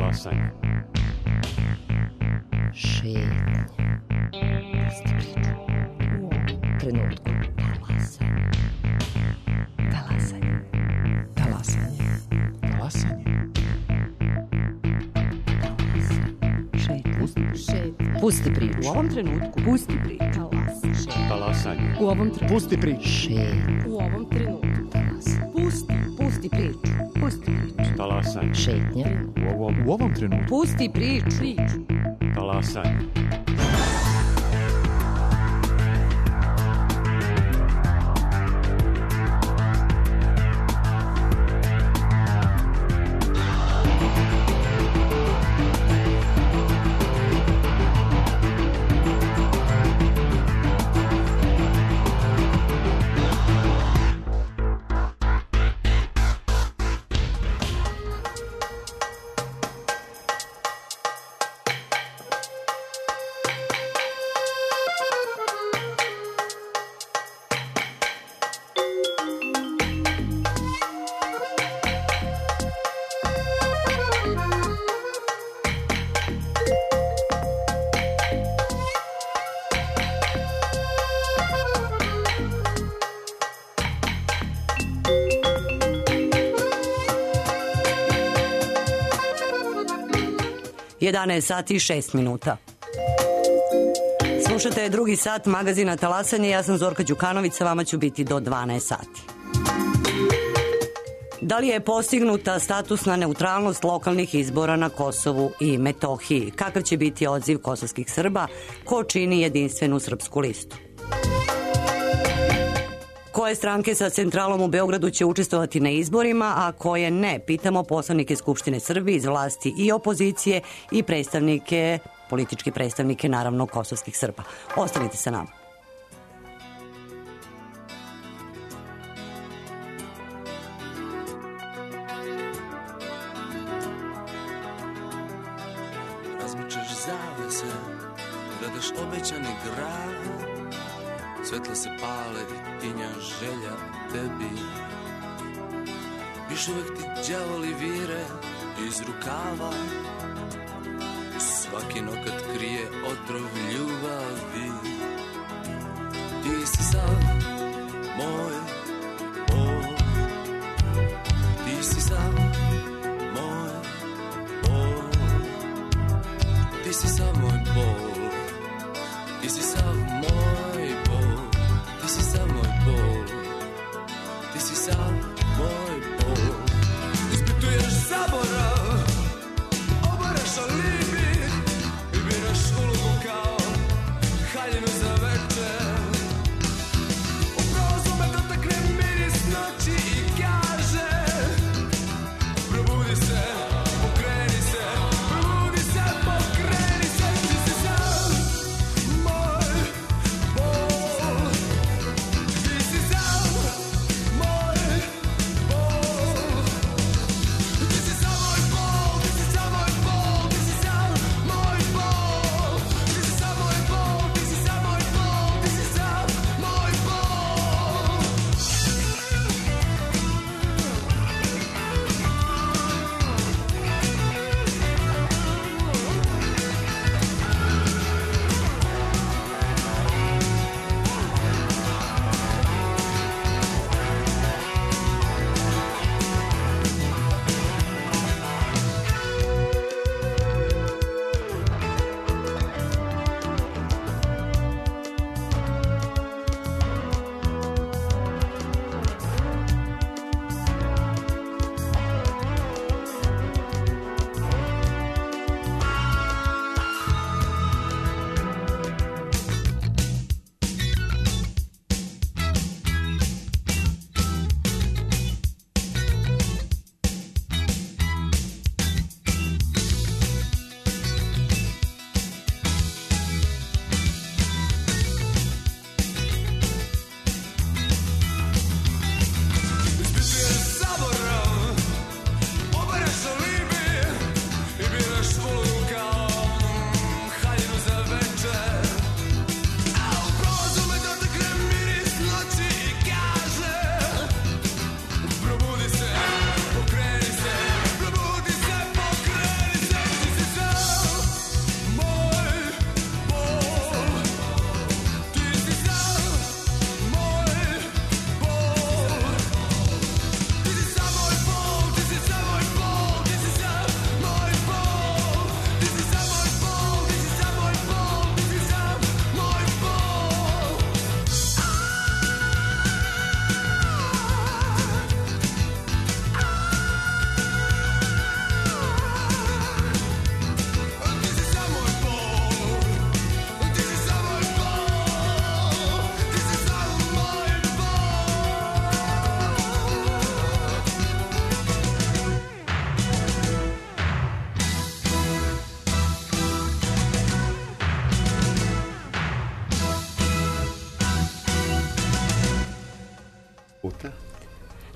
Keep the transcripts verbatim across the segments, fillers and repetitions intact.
Talasanje. Šetnja. Pusti priču. U ovom trenutku. Talasanje. Talasanje. Talasanje. Talasanje. Šetnja. Šetnja. Pusti priču. U ovom trenutku. Pusti priču. Talasanje. U ovom trenutku. Pusti priču. Šetnja. U ovom trenutku. Talasanje. Pusti. Pusti priču. Pusti priču. Talasanje. Šetnja. U ovom, U ovom trenutku. Pusti priču. Priču. talasanje. jedanaest sati i šest minuta. Slušate drugi sat magazina Talasanje, ja sam Zorka Đukanović, sa vama ću biti do dvanaest sati. Da li je postignuta statusna neutralnost lokalnih izbora na Kosovu i Metohiji? Kakav će biti odziv kosovskih Srba? Ko čini jedinstvenu srpsku listu? Koje stranke sa centralom u Beogradu će učestvovati na izborima, a koje ne? Pitamo poslanike Skupštine Srbije iz vlasti i opozicije i predstavnike, političke predstavnike, naravno, kosovskih Srba. Ostanite sa nama. Razmičaš zavese, gledaš obećani grad, svetla se pale i tinja želja tebi. Još uvek ti đavoli vire iz rukava, svaki nokat krije otrov ljubavi. Ti si sav moj bol, ti si sav moj bol, ti si sav moj bol, ti si sav moj bol, ti si sav moj bol, ti si sav moj bol. Ispituješ zaborav, obaraš alibi i biraš ulogu kao haljinu za večer. Upravo me dotakne miris noći i kaže: probudi se, pokreni se, probudi se, pokreni se. Ti si sav moj bol, ti si sav moj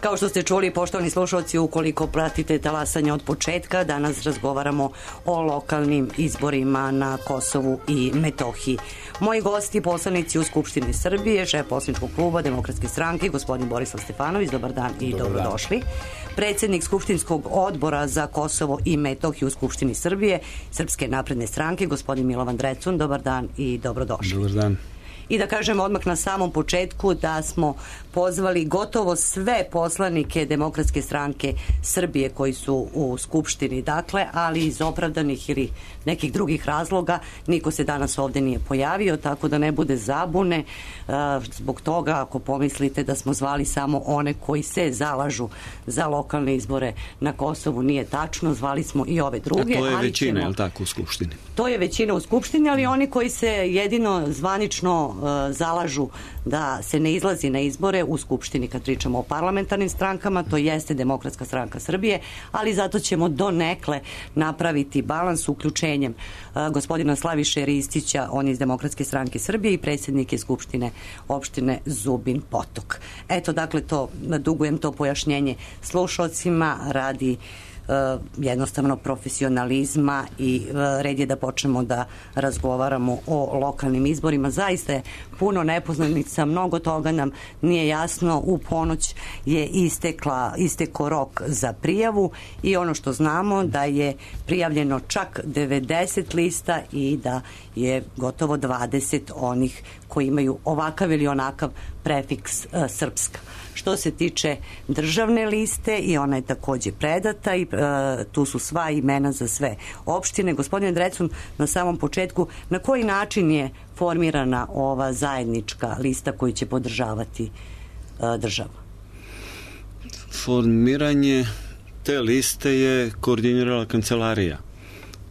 Kao što ste čuli, poštovani slušalci, ukoliko pratite talasanje od početka, danas razgovaramo o lokalnim izborima na Kosovu i Metohiji. Moji gosti, poslanici u Skupštini Srbije, šef poslaničkog kluba Demokratske stranke, gospodin Borislav Stefanović, dobar dan i dobar dobrodošli. Dan. Predsjednik Skupštinskog odbora za Kosovo i Metohiju u Skupštini Srbije, Srpske napredne stranke, gospodin Milovan Drecun, dobar dan i dobrodošli. Dobar dan. I da kažem odmah na samom početku da smo pozvali gotovo sve poslanike Demokratske stranke Srbije koji su u Skupštini, dakle, ali iz opravdanih ili nekih drugih razloga niko se danas ovde nije pojavio, tako da ne bude zabune zbog toga ako pomislite da smo zvali samo one koji se zalažu za lokalne izbore na Kosovu, nije tačno, zvali smo i ove druge. A to je ali većina, ćemo, je li tako, u Skupštini? To je većina u Skupštini, ali oni koji se jedino zvanično zalažu da se ne izlazi na izbore u Skupštini kad pričamo o parlamentarnim strankama, to jeste Demokratska stranka Srbije, ali zato ćemo donekle napraviti balans uključenjem gospodina Slaviše Ristića, on je iz Demokratske stranke Srbije i predsjednik je Skupštine opštine Zubin Potok. Eto, dakle, to dugujem to pojašnjenje slušalcima radi jednostavno profesionalizma i red je da počnemo da razgovaramo o lokalnim izborima. Zaista je puno nepoznanica, mnogo toga nam nije jasno. U ponoć je istekla, isteko rok za prijavu i ono što znamo da je prijavljeno čak devedeset lista i da je gotovo dvadeset onih koji imaju ovakav ili onakav prefiks uh, srpska. Što se tiče državne liste i ona je takođe predata i uh, tu su sva imena za sve opštine. Gospodine Drecun, na samom početku, na koji način je formirana ova zajednička lista koju će podržavati uh, država? Formiranje te liste je koordinirala kancelarija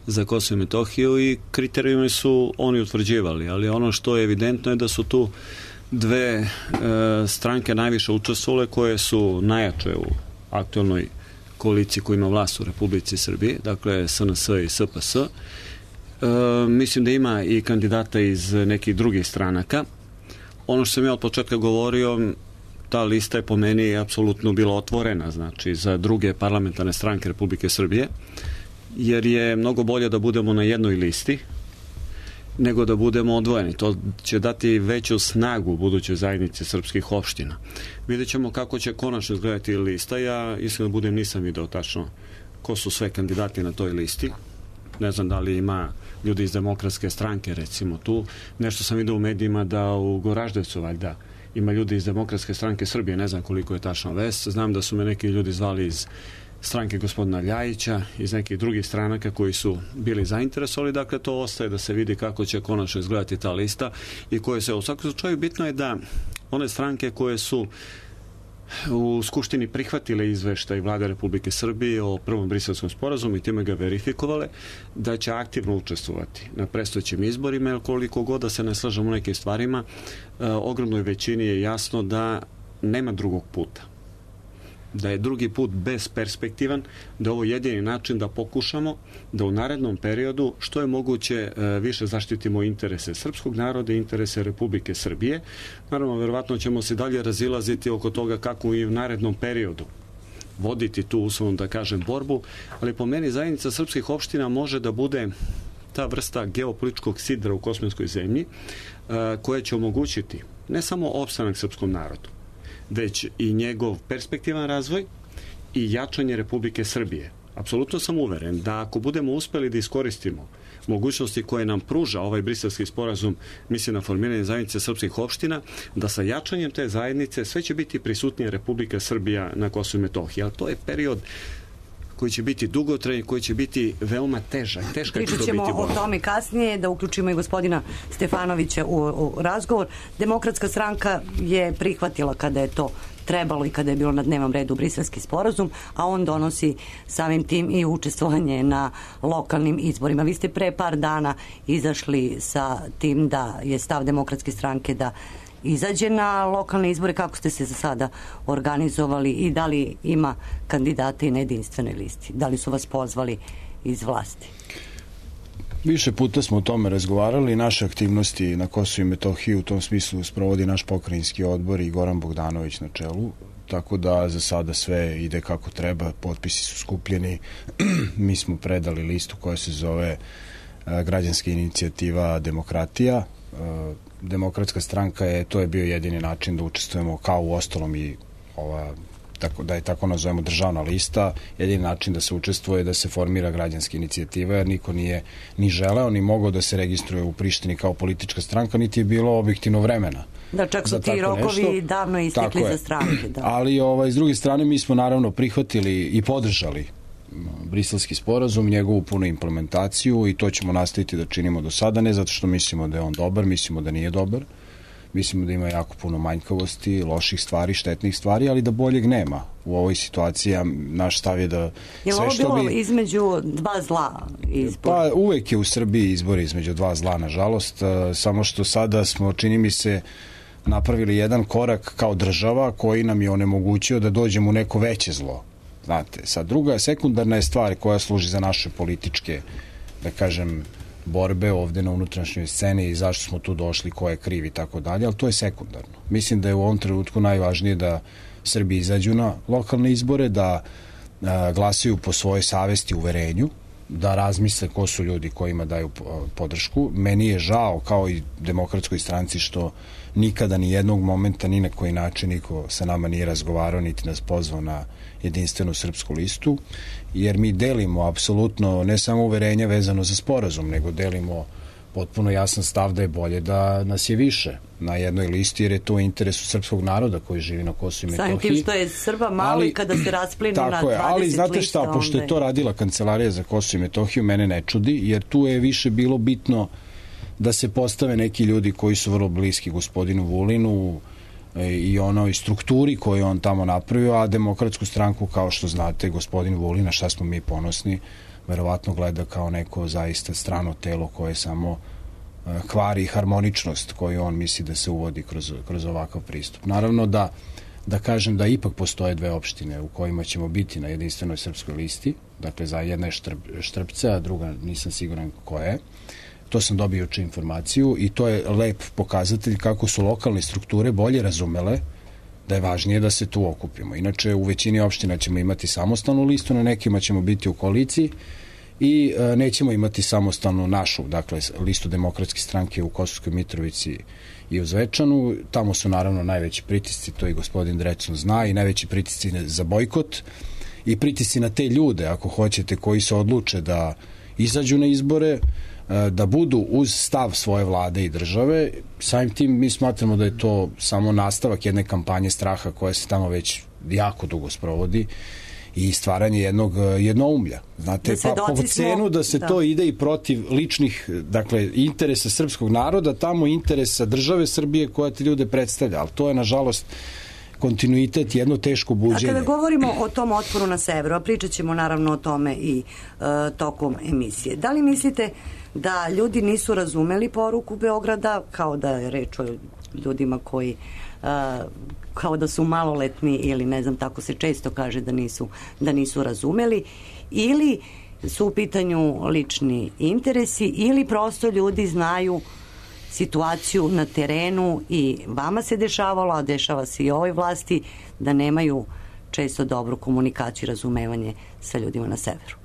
za Kosovo i Metohiju i kriterijumi su oni utvrđivali, ali ono što je evidentno je da su tu dve e, stranke najviše učestvovale koje su najjače u aktualnoj koaliciji koja ima vlast u Republici Srbiji, dakle S N S i S P S. E, mislim da ima i kandidata iz nekih drugih stranaka. Ono što sam ja od početka govorio, ta lista je po meni apsolutno bila otvorena, znači za druge parlamentarne stranke Republike Srbije, jer je mnogo bolje da budemo na jednoj listi nego da budemo odvojeni. To će dati veću snagu budućoj zajednici srpskih opština. Vidjet ćemo kako će konačno izgledati lista. Ja iskreno da budem nisam video tačno ko su sve kandidati na toj listi. Ne znam da li ima ljudi iz Demokratske stranke recimo tu. Nešto sam vidio u medijima da u Goraždevcu valjda ima ljudi iz Demokratske stranke Srbije. Ne znam koliko je tačno vest. Znam da su me neki ljudi zvali iz stranke gospodina Ljajića, iz nekih drugih stranaka koji su bili zainteresovali, dakle to ostaje da se vidi kako će konačno izgledati ta lista i koje se u svakom slučaju bitno je da one stranke koje su u Skupštini prihvatile izveštaj Vlade Republike Srbije o prvom Briselskom sporazumu i time ga verifikovale, da će aktivno učestvovati na predstojećim izborima, jer koliko god da se ne slažemo u nekim stvarima, eh, ogromnoj većini je jasno da nema drugog puta, da je drugi put besperspektivan, da je ovo jedini način da pokušamo da u narednom periodu što je moguće više zaštitimo interese srpskog naroda i interese Republike Srbije. Naravno, verovatno ćemo se dalje razilaziti oko toga kako i u narednom periodu voditi tu, uslovno da kažem, borbu, ali po meni zajednica srpskih opština može da bude ta vrsta geopolitičkog sidra u kosmijskoj zemlji koja će omogućiti ne samo opstanak srpskom narodu, već i njegov perspektivan razvoj i jačanje Republike Srbije. Apsolutno sam uveren da ako budemo uspeli da iskoristimo mogućnosti koje nam pruža ovaj briselski sporazum, mislim na formiranje zajednice srpskih opština, da sa jačanjem te zajednice sve će biti prisutnija Republika Srbija na Kosovu i Metohiji. Ali to je period koji će biti dugotrajan, koji će biti veoma težak. Teška će to biti borba. Pričat ćemo o tome kasnije, da uključimo i gospodina Stefanovića u, u razgovor. Demokratska stranka je prihvatila kada je to trebalo i kada je bilo na dnevnom redu briselski sporazum, a on donosi samim tim i učestvovanje na lokalnim izborima. Vi ste pre par dana izašli sa tim da je stav Demokratske stranke da izađe na lokalne izbore. Kako ste se za sada organizovali i da li ima kandidata i na jedinstvenoj listi? Da li su vas pozvali iz vlasti? Više puta smo o tome razgovarali. Naše aktivnosti na Kosovu i Metohiji u tom smislu sprovodi naš pokrajinski odbor i Goran Bogdanović na čelu tako da za sada sve ide kako treba, potpisi su skupljeni, mi smo predali listu koja se zove građanska inicijativa Demokratija. Demokratska stranka je, to je bio jedini način da učestvujemo kao u ostalom i ova, tako, da je tako nazovemo državna lista, jedini način da se učestvuje da se formira građanska inicijativa, jer niko nije ni želeo ni mogao da se registruje u Prištini kao politička stranka, niti je bilo objektivno vremena. Da, čak su ti rokovi nešto davno istekli za stranke. Da. Ali ovaj, s druge strane mi smo naravno prihvatili i podržali Briselski sporazum, njegovu punu implementaciju i to ćemo nastaviti da činimo do sada, ne zato što mislimo da je on dobar, mislimo da nije dobar, mislimo da ima jako puno manjkavosti, loših stvari, štetnih stvari, ali da boljeg nema u ovoj situaciji. Naš stav je da je sve što bi... Je ovo bilo između dva zla izbor? Pa uvek je u Srbiji izbor između dva zla, nažalost, samo što sada smo, čini mi se, napravili jedan korak kao država koji nam je onemogućio da dođemo u neko veće zlo. Znate, sad druga sekundarna je stvar koja služi za naše političke, da kažem, borbe ovde na unutrašnjoj sceni i zašto smo tu došli, ko je kriv i tako dalje, ali to je sekundarno. Mislim da je u ovom trenutku najvažnije da Srbi izađu na lokalne izbore, da a, glasaju po svojoj savesti, uverenju, da razmisle ko su ljudi kojima daju podršku. Meni je žao, kao i Demokratskoj stranci, što nikada ni jednog momenta, ni na koji način niko sa nama nije razgovarao, niti nas pozvao na jedinstvenu srpsku listu, jer mi delimo apsolutno ne samo uverenja vezano za sporazum, nego delimo potpuno jasan stav da je bolje da nas je više na jednoj listi, jer je to u interesu srpskog naroda koji živi na Kosovu i Metohiji. Samim tim što je Srba malo ali, i kada se rasplinu na dvadeset lista. Ali znate šta, onda... pošto je to radila Kancelarija za Kosovo i Metohiju, mene ne čudi, jer tu je više bilo bitno da se postave neki ljudi koji su vrlo bliski gospodinu Vulinu i onoj strukturi koju on tamo napravio, a Demokratsku stranku, kao što znate, gospodin Vulina, šta smo mi ponosni, verovatno gleda kao neko zaista strano telo koje samo kvari harmoničnost koju on misli da se uvodi kroz, kroz ovakav pristup. Naravno da, da kažem da ipak postoje dve opštine u kojima ćemo biti na jedinstvenoj srpskoj listi, dakle za jedna je Štrp, Štrpce, a druga nisam siguran koja je. To sam dobio juče informaciju i to je lep pokazatelj kako su lokalne strukture bolje razumele da je važnije da se tu okupimo. Inače, u većini opština ćemo imati samostalnu listu, na nekima ćemo biti u koaliciji i e, nećemo imati samostalnu našu, dakle, listu Demokratske stranke u Kosovskoj Mitrovici i u Zvečanu. Tamo su naravno najveći pritisci, to i gospodin Drecun zna, i najveći pritisci za bojkot i pritisci na te ljude, ako hoćete, koji se odluče da izađu na izbore, da budu uz stav svoje vlade i države. Samim tim mi smatramo da je to samo nastavak jedne kampanje straha koja se tamo već jako dugo sprovodi i stvaranje jednog jednoumlja. Znate, pa po cenu da se da. to ide i protiv ličnih, dakle, interesa srpskog naroda, tamo interesa države Srbije koja te ljude predstavlja, ali to je nažalost kontinuitet, jedno teško buđenje. A kada govorimo o tom otporu na severu, a pričat ćemo naravno o tome i e, tokom emisije, da li mislite da ljudi nisu razumeli poruku Beograda, kao da je reč o ljudima koji e, kao da su maloletni ili ne znam, tako se često kaže da nisu, da nisu razumeli, ili su u pitanju lični interesi, ili prosto ljudi znaju situaciju na terenu i vama se dešavalo, a dešava se i ovoj vlasti, da nemaju često dobru komunikaciju i razumevanje sa ljudima na severu.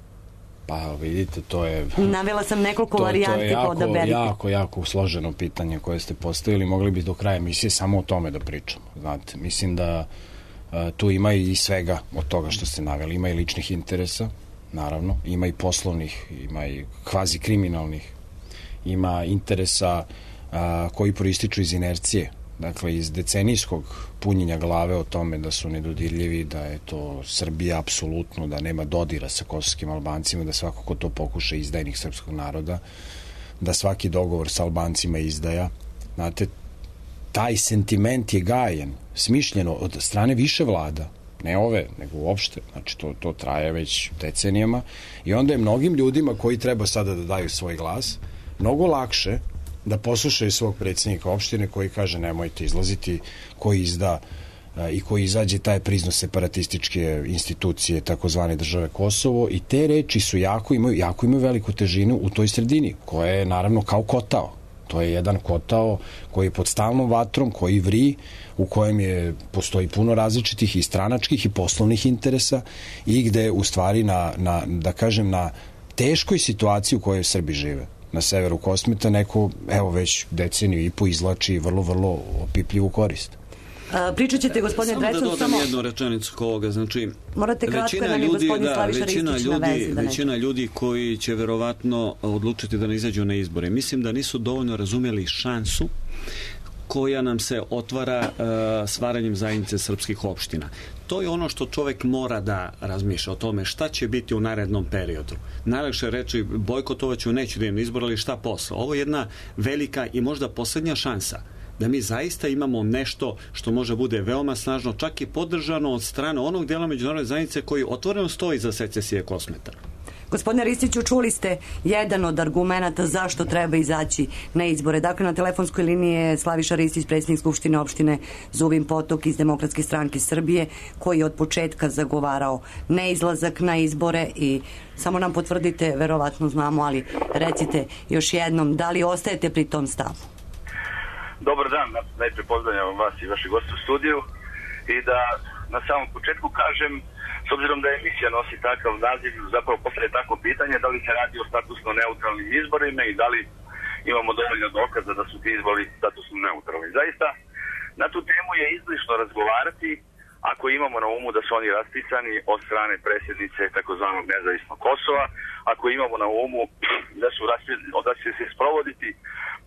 Pa vidite, to je... Navela sam nekoliko to, varijanti, to je jako, odaberite. jako, jako složeno pitanje koje ste postavili. Mogli bi do kraja emisije samo o tome da pričamo. Znate, mislim da a, tu ima i svega od toga što ste naveli. Ima i ličnih interesa, naravno. Ima i poslovnih, ima i kvazi kriminalnih. Ima interesa a, koji proističu iz inercije. Dakle, iz decenijskog punjenja glave o tome da su nedodirljivi, da je to Srbija apsolutno, da nema dodira sa kosovskim Albancima, da svako ko to pokuša izdajnik srpskog naroda, da svaki dogovor sa Albancima izdaja. Znate, taj sentiment je gajen, smišljeno od strane više vlada, ne ove, nego uopšte. Znači, to, to traje već decenijama i onda je mnogim ljudima koji treba sada da daju svoj glas mnogo lakše da poslušaju svog predsjednika opštine koji kaže nemojte izlaziti, koji izda a, i koji izađe taj prizno separatističke institucije takozvane države Kosovo, i te reči su jako imaju, jako imaju veliku težinu u toj sredini, koja je naravno kao kotao. To je jedan kotao koji je pod stalnom vatrom, koji vri, u kojem je, postoji puno različitih i stranačkih i poslovnih interesa i gde u stvari na, na, da kažem, na teškoj situaciji u kojoj Srbi žive na severu Kosmeta neko, evo već deceniju i po izlači vrlo, vrlo opipljivu korist. A, pričat ćete, gospodine Drecun, samo... samo... da dodam jednu rečenicu oko ovoga, znači... Morate kratko, većina jer nam je ljudi, gospodin da, Slaviša većina Ristić na ljudi, vezi. Da većina ljudi koji će verovatno odlučiti da ne izađu na izbore, mislim da nisu dovoljno razumjeli šansu koja nam se otvara uh, stvaranjem zajednice srpskih opština. To je ono što čovjek mora da razmišlja o tome šta će biti u narednom periodu. Najlakše reći bojkotovaću, neću da imam izbor, ali šta posle. Ovo je jedna velika i možda posljednja šansa da mi zaista imamo nešto što može bude veoma snažno, čak i podržano od strane onog dela međunarodne zajednice koji otvoreno stoji za secesije Kosmeta. Gospodine Ristiću, čuli ste jedan od argumenata zašto treba izaći na izbore. Dakle, na telefonskoj liniji je Slaviša Ristić, predsjednik Skupštine opštine Zubin Potok iz Demokratske stranke Srbije, koji je od početka zagovarao neizlazak na izbore i samo nam potvrdite, verovatno znamo, ali recite još jednom, da li ostajete pri tom stavu? Dobar dan, najprije pozdravljam vas i vaše goste u studiju i da na samom početku kažem, s obzirom da emisija nosi takav naziv, zapravo postoje tako pitanje da li se radi o statusno neutralnim izborima i da li imamo dovoljno dokaza da su ti izbori statusno neutralni. Zaista, na tu temu je izlišno razgovarati ako imamo na umu da su oni raspisani od strane predsjednice takozvanog nezavisnog Kosova, ako imamo na umu da su da će se sprovoditi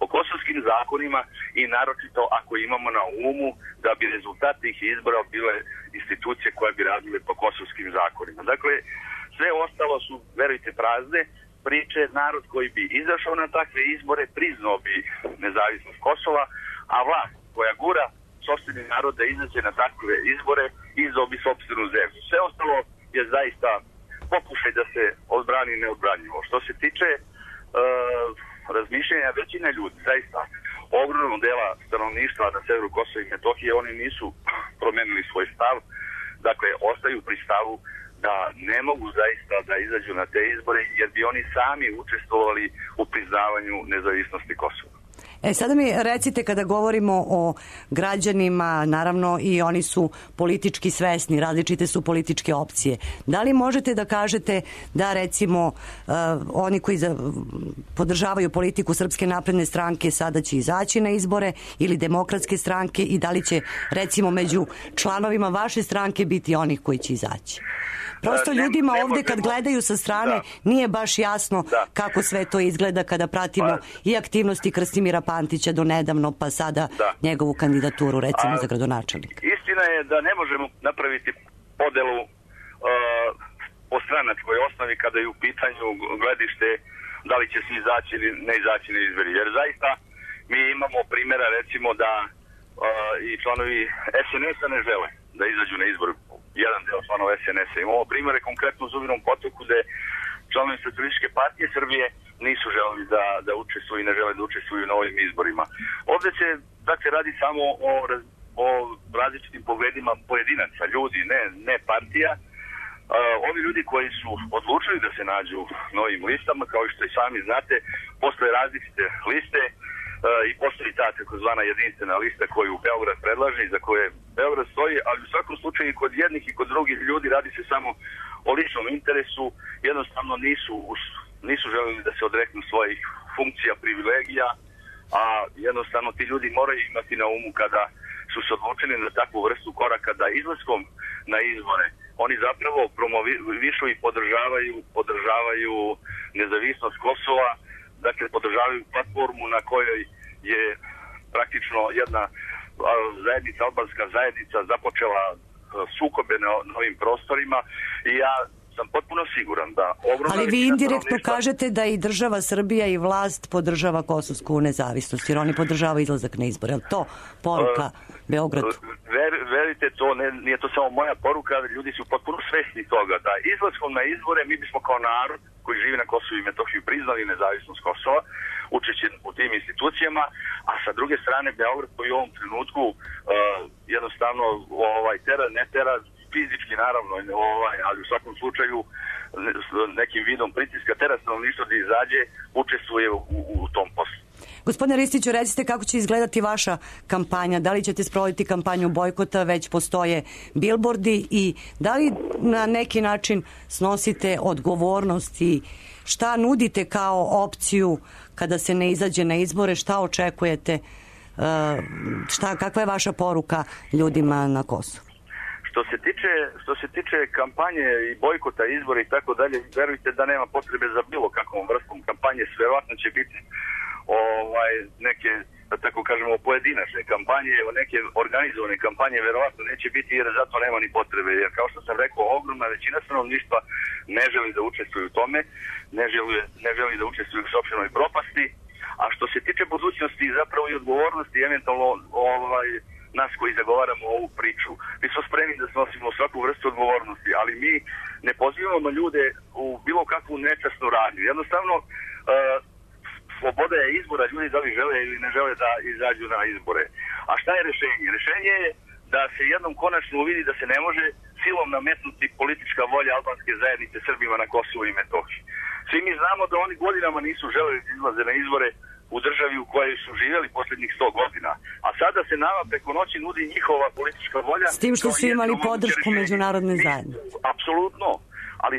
po kosovskim zakonima i naročito ako imamo na umu da bi rezultat tih izbora bile institucije koje bi radile po kosovskim zakonima. Dakle, sve ostalo su, verujte, prazne priče. Narod koji bi izašao na takve izbore priznao bi nezavisnost Kosova, a vlast koja gura sopstveni narod da izađe na takve izbore izdao bi sopstvenu zemlju. Sve ostalo je zaista pokušaj da se odbrani neodbranjivo. Što se tiče uh, razmišljenja većine ljudi, zaista ogromnog dela stanovništva na severu Kosova i Metohije, oni nisu promenili svoj stav, dakle ostaju pri stavu da ne mogu zaista da izađu na te izbore jer bi oni sami učestvovali u priznavanju nezavisnosti Kosova. E, sada mi recite, kada govorimo o građanima, naravno i oni su politički svesni, različite su političke opcije. Da li možete da kažete da recimo uh, oni koji za, podržavaju politiku Srpske napredne stranke sada će izaći na izbore ili Demokratske stranke i da li će recimo među članovima vaše stranke biti onih koji će izaći? Prosto ne, ljudima ne ovdje kad gledaju sa strane da. Nije baš jasno da. Kako sve to izgleda kada pratimo pa, i aktivnosti Krstimira Pantića do nedavno pa sada da. Njegovu kandidaturu recimo A, za gradonačelnika. Istina je da ne možemo napraviti podelu uh, po stranačkoj osnovi kada je u pitanju gledište da li će se izaći ili ne izaći na izbori. Jer zaista mi imamo primjera recimo da uh, i članovi es en es-a ne žele da izađu na izbor. Jedan deo članova es en es-a. Imamo primjere konkretno u Zubinom Potoku gde članovi Socijalističke partije Srbije nisu želeli da, da učestvuju i ne žele da učestvuju na ovim izborima. Ovdje se dakle radi samo o, o različitim pogledima pojedinaca, ljudi, ne, ne partija. Uh, ovi ljudi koji su odlučili da se nađu na ovim listama, kao što i sami znate, postoje različite liste uh, i postoji ta takozvana jedinstvena lista koju Beograd predlaže i za koje Beograd stoji, ali u svakom slučaju kod jednih i kod drugih ljudi radi se samo o ličnom interesu, jednostavno nisu, nisu želeli da se odreknu svojih funkcija, privilegija, a jednostavno ti ljudi moraju imati na umu kada su se odlučili na takvu vrstu koraka da izlaskom na izbore oni zapravo promovišu i podržavaju, podržavaju nezavisnost Kosova, dakle podržavaju platformu na kojoj je praktično jedna zajednica, albanska zajednica započela sukobe na, na ovim prostorima i ja sam potpuno siguran da ogromna... Ali vi indirektno kažete da i država Srbija i vlast podržava kosovsku nezavisnost, jer oni podržavaju izlazak na izbore. Je li to poruka uh, Beogradu? Ver, verite, to ne, nije to samo moja poruka, ljudi su potpuno svesni toga da izlaskom na izbore mi bismo kao narod koji živi na Kosovu i Metohiji priznali nezavisnost Kosova, učeći u tim institucijama, a sa druge strane Beograd koji u ovom trenutku uh, jednostavno ovaj, tera, ne tera fizički naravno, ovaj, ali u svakom slučaju nekim vidom pritiska tera stanovništva da izađe, učestvuje u, u tom poslu. Gospodine Ristiću, recite kako će izgledati vaša kampanja, da li ćete sprovoditi kampanju bojkota, već postoje bilbordi i da li na neki način snosite odgovornost i šta nudite kao opciju kada se ne izađe na izbore, šta očekujete, šta, kakva je vaša poruka ljudima na Kosovu? Što se tiče, što se tiče kampanje i bojkota izbora i tako dalje, verujte da nema potrebe za bilo kakvom vrstom kampanje, verovatno će biti ovaj, neke, da tako kažemo, pojedinačne kampanje, neke organizovane kampanje verovatno neće biti jer zato nema ni potrebe, jer kao što sam rekao, ogromna većina stanovništva ne želi da učestvuju u tome, ne želi, ne želi da učestvuju u sopstvenoj propasti, a što se tiče budućnosti i zapravo i odgovornosti, eventualno ovaj, nas koji zagovaramo ovu priču, mi smo spremni da snosimo svaku vrstu odgovornosti, ali mi ne pozivamo ljude u bilo kakvu nečasnu radnju. Jednostavno, uh, sloboda je izbora, ljudi da li žele ili ne žele da izađu na izbore. A šta je rešenje? Rešenje je da se jednom konačno uvidi da se ne može silom nametnuti politička volja albanske zajednice Srbima na Kosovu i Metohiji. Svi mi znamo da oni godinama nisu želeli da izlaze na izbore u državi u kojoj su živjeli posljednjih sto godina. A sada se nama preko noći nudi njihova politička volja. S tim što su imali podršku međunarodne zajednice. Apsolutno, ali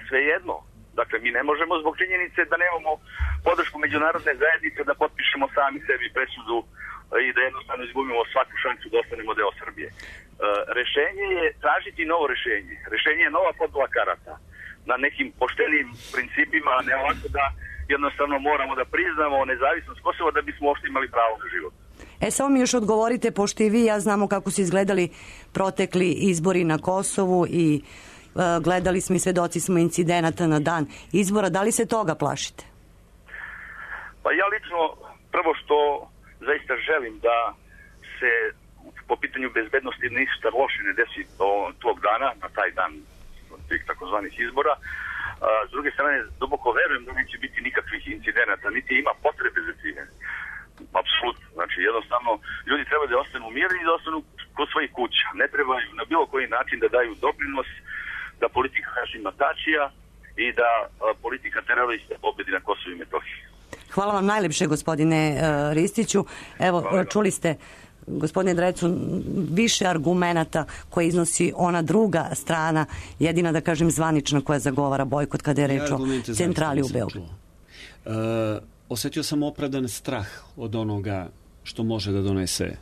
svejedno. Dakle, mi ne možemo zbog činjenice da nemamo podršku međunarodne zajednice da potpišemo sami sebi presudu i da jednostavno izgubimo svaku šansu da ostanemo deo Srbije. Rešenje je tražiti novo rešenje. Rešenje je nova podela karata na nekim poštenim principima, a ne ovako da jednostavno moramo da priznamo nezavisnost Kosova da bismo uopšte imali pravo na život. E, samo mi još odgovorite, pošto i vi ja znamo kako su izgledali protekli izbori na Kosovu i uh, gledali smo i svedoci smo incidenata na dan izbora. Da li se toga plašite? Pa ja lično, prvo što zaista želim da se po pitanju bezbednosti ništa loše ne desi do tog dana, na taj dan tih takozvanih izbora. S druge strane, duboko verujem da neće biti nikakvih incidenata, niti ima potrebe za time. Apsolutno. Znači, jednostavno, ljudi treba da ostanu mirni i da ostanu kod svojih kuća. Ne trebaju na bilo koji način da daju doprinos da politika Hašima Tačija i da a, politika terorista pobedi na Kosovu i Metohiji. Hvala vam najlepše, gospodine uh, Ristiću. Evo, Hvala. Čuli ste, gospodine Drecu, više argumenata koje iznosi ona druga strana, jedina, da kažem, zvanična koja zagovara bojkot kada je reč o centrali u Beogradu. Uh, osetio sam opravdan strah od onoga što može da donese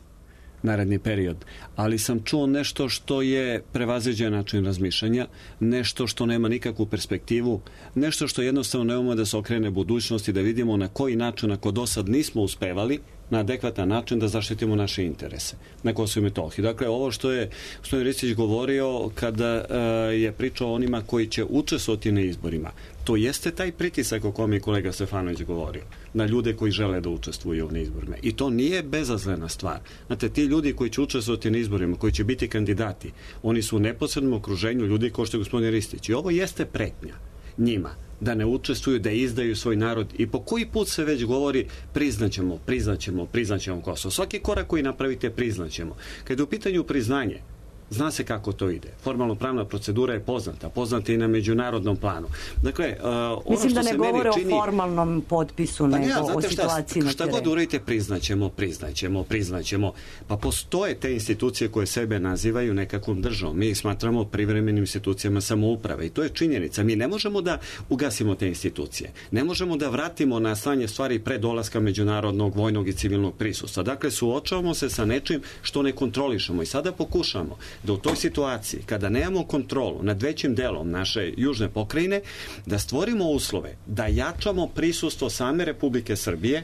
naredni period, ali sam čuo nešto što je prevaziđen način razmišljanja, nešto što nema nikakvu perspektivu, nešto što jednostavno ne umemo da se okrene budućnosti, da vidimo na koji način, ako do sad nismo uspevali, na adekvatan način da zaštitimo naše interese na Kosovu i Metohiji. Dakle, ovo što je gospodin Ristić govorio kada uh, je pričao o onima koji će učestvovati na izborima, to jeste taj pritisak o kome je kolega Stefanović govorio, na ljude koji žele da učestvuju na izborima. I to nije bezazlena stvar. Znate, ti ljudi koji će učestvovati na izborima, koji će biti kandidati, oni su u neposrednom okruženju ljudi kao što je gospodin Ristić. I ovo jeste pretnja njima da ne učestvuju, da izdaju svoj narod i po koji put se već govori priznaćemo, priznaćemo, priznaćemo Kosovo. Svaki korak koji napravite priznaćemo. Kad je u pitanju priznanje, zna se kako to ide. Formalno pravna procedura je poznata, poznata i na međunarodnom planu. Dakle, uh, ono mislim što da ne se govore čini... o formalnom potpisu, pa nego ja, o situaciji šta, na šta terenu. god uradite, priznaćemo, priznaćemo, priznaćemo. Pa postoje te institucije koje sebe nazivaju nekakvom državom. Mi ih smatramo privremenim institucijama samouprave i to je činjenica. Mi ne možemo da ugasimo te institucije. Ne možemo da vratimo na stanje stvari pre dolaska međunarodnog, vojnog i civilnog prisustva. Dakle, suočavamo se sa nečim što ne kontrolišemo i sada pokušamo da u toj situaciji, kada nemamo kontrolu nad većim delom naše južne pokrajine, da stvorimo uslove, da jačamo prisustvo same Republike Srbije,